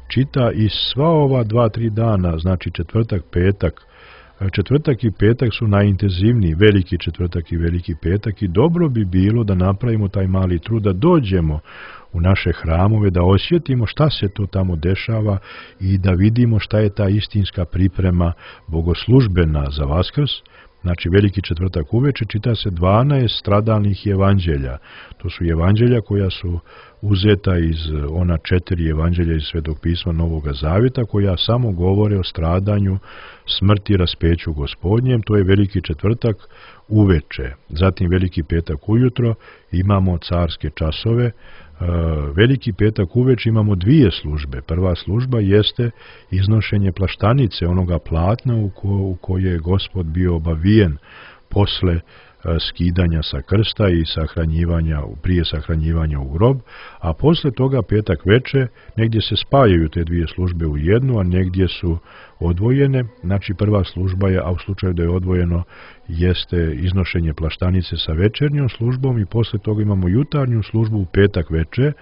čita i sva ova 2-3 dana, znači četvrtak, petak. Četvrtak i petak su najintenzivniji, Veliki četvrtak i Veliki petak, i dobro bi bilo da napravimo taj mali trud, da dođemo u naše hramove, da osjetimo šta se to tamo dešava i da vidimo šta je ta istinska priprema bogoslužbena za Vaskrs. Znači, Veliki četvrtak uveče čita se 12 stradalnih evanđelja. To su evanđelja koja su uzeta iz ona 4 evanđelja iz Svetog pisma Novoga Zavjeta, koja samo govore o stradanju, smrti i raspeću Gospodnjem. To je Veliki četvrtak uveče. Zatim Veliki petak ujutro imamo carske časove. Veliki petak uveče imamo 2 službe. Prva služba jeste iznošenje plaštanice, onoga platna u koje je Gospod bio obavijen posle skidanja sa krsta i prije sahranjivanja u grob, a posle toga petak veče negdje se spajaju te 2 službe u jednu, a negdje su odvojene. Znači, prva služba je, a u slučaju da je odvojeno, jeste iznošenje plaštanice sa večernjom službom, i posle toga imamo jutarnju službu u petak veče,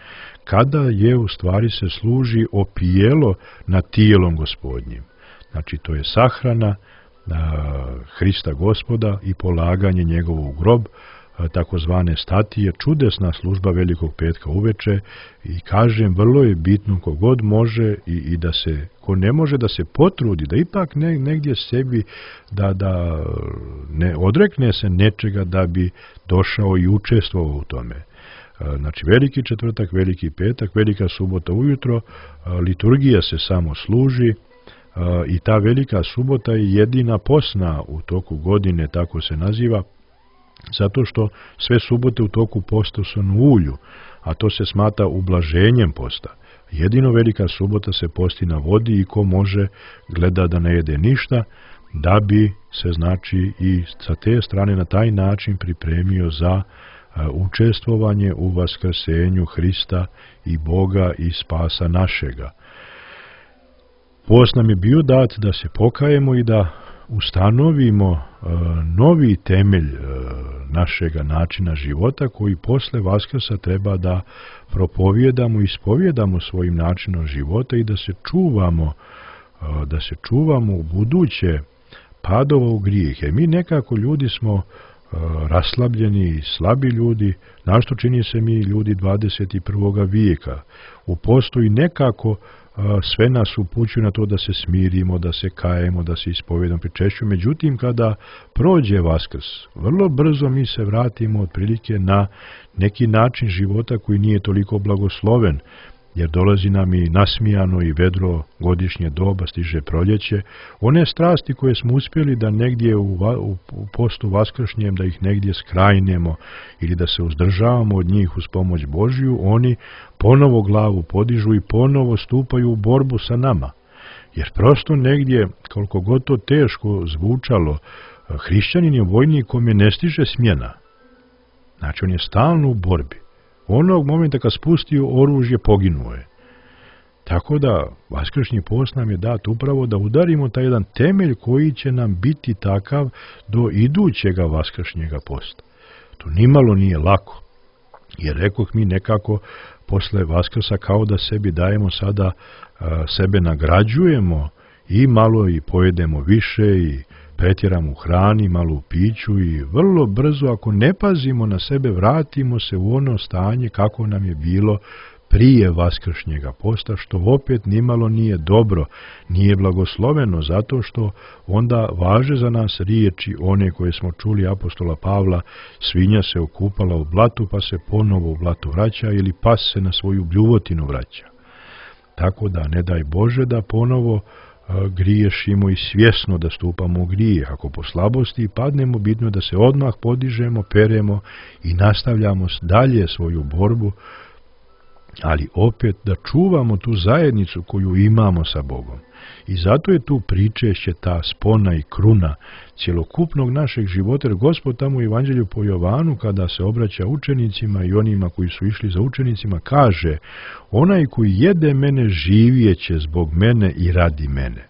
kada je u stvari se služi opijelo nad tijelom Gospodnjim. Znači, to je sahrana Hrista Gospoda i polaganje njegovog u grob, takozvane statije, čudesna služba Velikog petka uveče. I kažem, vrlo je bitno kogod može i da se, ko ne može, da se potrudi, da ipak negdje sebi da ne odrekne se nečega da bi došao i učestvovao u tome. Znači, Veliki četvrtak, Veliki petak, Velika subota ujutro, liturgija se samo služi. I ta Velika subota je jedina posna u toku godine, tako se naziva, zato što sve subote u toku posta su na ulju, a to se smatra ublaženjem posta. Jedino Velika subota se posti na vodi i ko može gleda da ne jede ništa, da bi se, znači, i sa te strane na taj način pripremio za učestvovanje u vaskrsenju Hrista i Boga i spasa našega. Post nam je bio dat da se pokajemo i da ustanovimo novi temelj našega načina života, koji posle Vaskrsa treba da propovijedamo i ispovjedamo svojim načinom života i da se čuvamo u buduće padova u grijehe. Mi nekako ljudi smo raslabljeni i slabi ljudi, našto čini se mi ljudi 21. vijeka. U postu i nekako sve nas upućuju na to da se smirimo, da se kajemo, da se ispovjedamo, pričešćujemo. Međutim, kada prođe Vaskrs, vrlo brzo mi se vratimo otprilike na neki način života koji nije toliko blagosloven, jer dolazi nam i nasmijano i vedro godišnje doba, stiže proljeće. One strasti koje smo uspjeli da negdje u postu vaskršnjem, da ih negdje skrajnemo ili da se uzdržavamo od njih uz pomoć Božju, oni ponovo glavu podižu i ponovo stupaju u borbu sa nama. Jer prosto negdje, koliko god to teško zvučalo, hrišćanin je vojnik kome ne stiže smjena. Znači, on je stalno u borbi. Onog momenta kad spustio oružje, poginuo je. Tako da vaskršnji post nam je dat upravo da udarimo taj jedan temelj koji će nam biti takav do idućega vaskršnjega posta. To nimalo nije lako, jer rekoh, mi nekako posle Vaskrsa kao da sebi dajemo sada, sebe nagrađujemo i malo i pojedemo više i pretjeramo u hrani, malo u piću i vrlo brzo, ako ne pazimo na sebe, vratimo se u ono stanje kako nam je bilo prije vaskršnjega posta, što opet nimalo nije dobro, nije blagosloveno, zato što onda važe za nas riječi one koje smo čuli apostola Pavla: svinja se okupala u blatu, pa se ponovo u blatu vraća, ili pas se na svoju bljuvotinu vraća. Tako da ne daj Bože da ponovo griješimo i svjesno da stupamo u grijeh. Ako po slabosti padnemo, bitno da se odmah podižemo, peremo i nastavljamo dalje svoju borbu, ali opet da čuvamo tu zajednicu koju imamo sa Bogom. I zato je tu pričešće ta spona i kruna cjelokupnog našeg života, jer Gospod tamo u Evanđelju po Jovanu, kada se obraća učenicima i onima koji su išli za učenicima, kaže: onaj koji jede mene živjeće zbog mene i radi mene.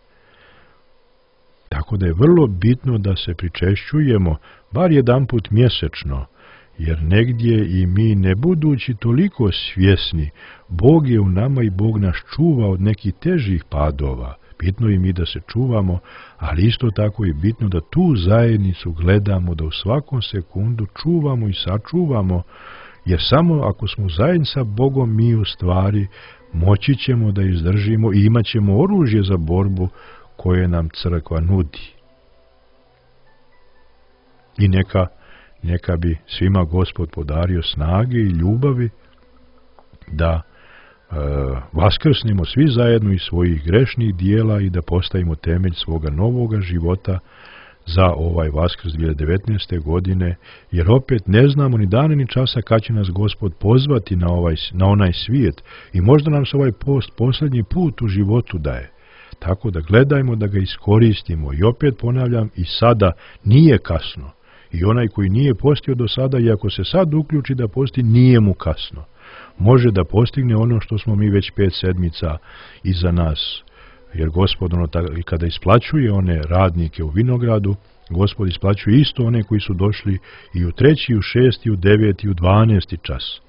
Tako da je vrlo bitno da se pričešćujemo bar jedanput mjesečno, jer negdje i mi ne budući toliko svjesni, Bog je u nama i Bog nas čuva od nekih težih padova. Bitno je mi da se čuvamo, ali isto tako je bitno da tu zajednicu gledamo, da u svakom sekundu čuvamo i sačuvamo, jer samo ako smo zajedno sa Bogom, mi u stvari moći ćemo da izdržimo i imat ćemo oružje za borbu koje nam crkva nudi. I neka bi svima Gospod podario snage i ljubavi da vaskrsnemo svi zajedno iz svojih grešnih dijela i da postavimo temelj svoga novoga života za ovaj Vaskrs 2019. godine, jer opet ne znamo ni dana ni časa kad će nas Gospod pozvati na onaj svijet i možda nam se ovaj post posljednji put u životu daje. Tako da gledajmo da ga iskoristimo i opet ponavljam, i sada nije kasno. I onaj koji nije postio do sada, i ako se sad uključi da posti, nije mu kasno. Može da postigne ono što smo mi već 5 sedmica iza nas. Jer Gospod kada isplaćuje one radnike u vinogradu, Gospod isplaćuje isto one koji su došli i u 3, i u 6, i u 9, i u 12 čas.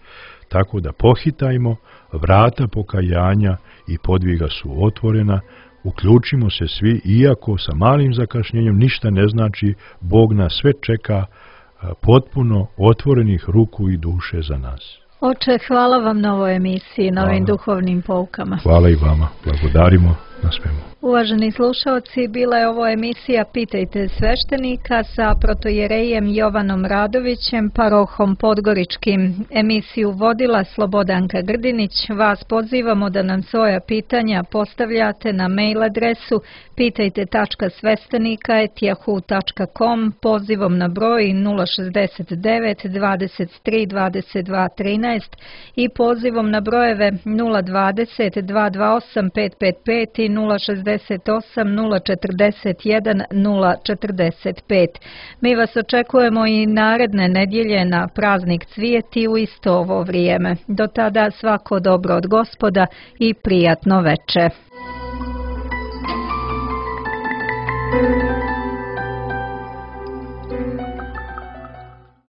Tako da pohitajmo, vrata pokajanja i podviga su otvorena, uključimo se svi, iako sa malim zakašnjenjem ništa ne znači, Bog nas sve čeka potpuno otvorenih ruku i duše za nas. Oče, hvala vam na ovoj emisiji, na ovim duhovnim poukama. Hvala i vama, blagodarimo na svemu. Uvaženi slušalci, bila je ovo emisija Pitajte sveštenika sa protojerejem Jovanom Radovićem, parohom Podgoričkim. Emisiju vodila Slobodanka Grdinić. Vas pozivamo da nam svoja pitanja postavljate na mail adresu pitajte.sveštenika@yahoo.com pozivom na broj 069 23 22 13 i pozivom na brojeve 020 228 555 i 068 041 045. Mi vas očekujemo i naredne nedjelje na praznik Cvijeti u isto ovo vrijeme. Do tada svako dobro od Gospoda i prijatno veče.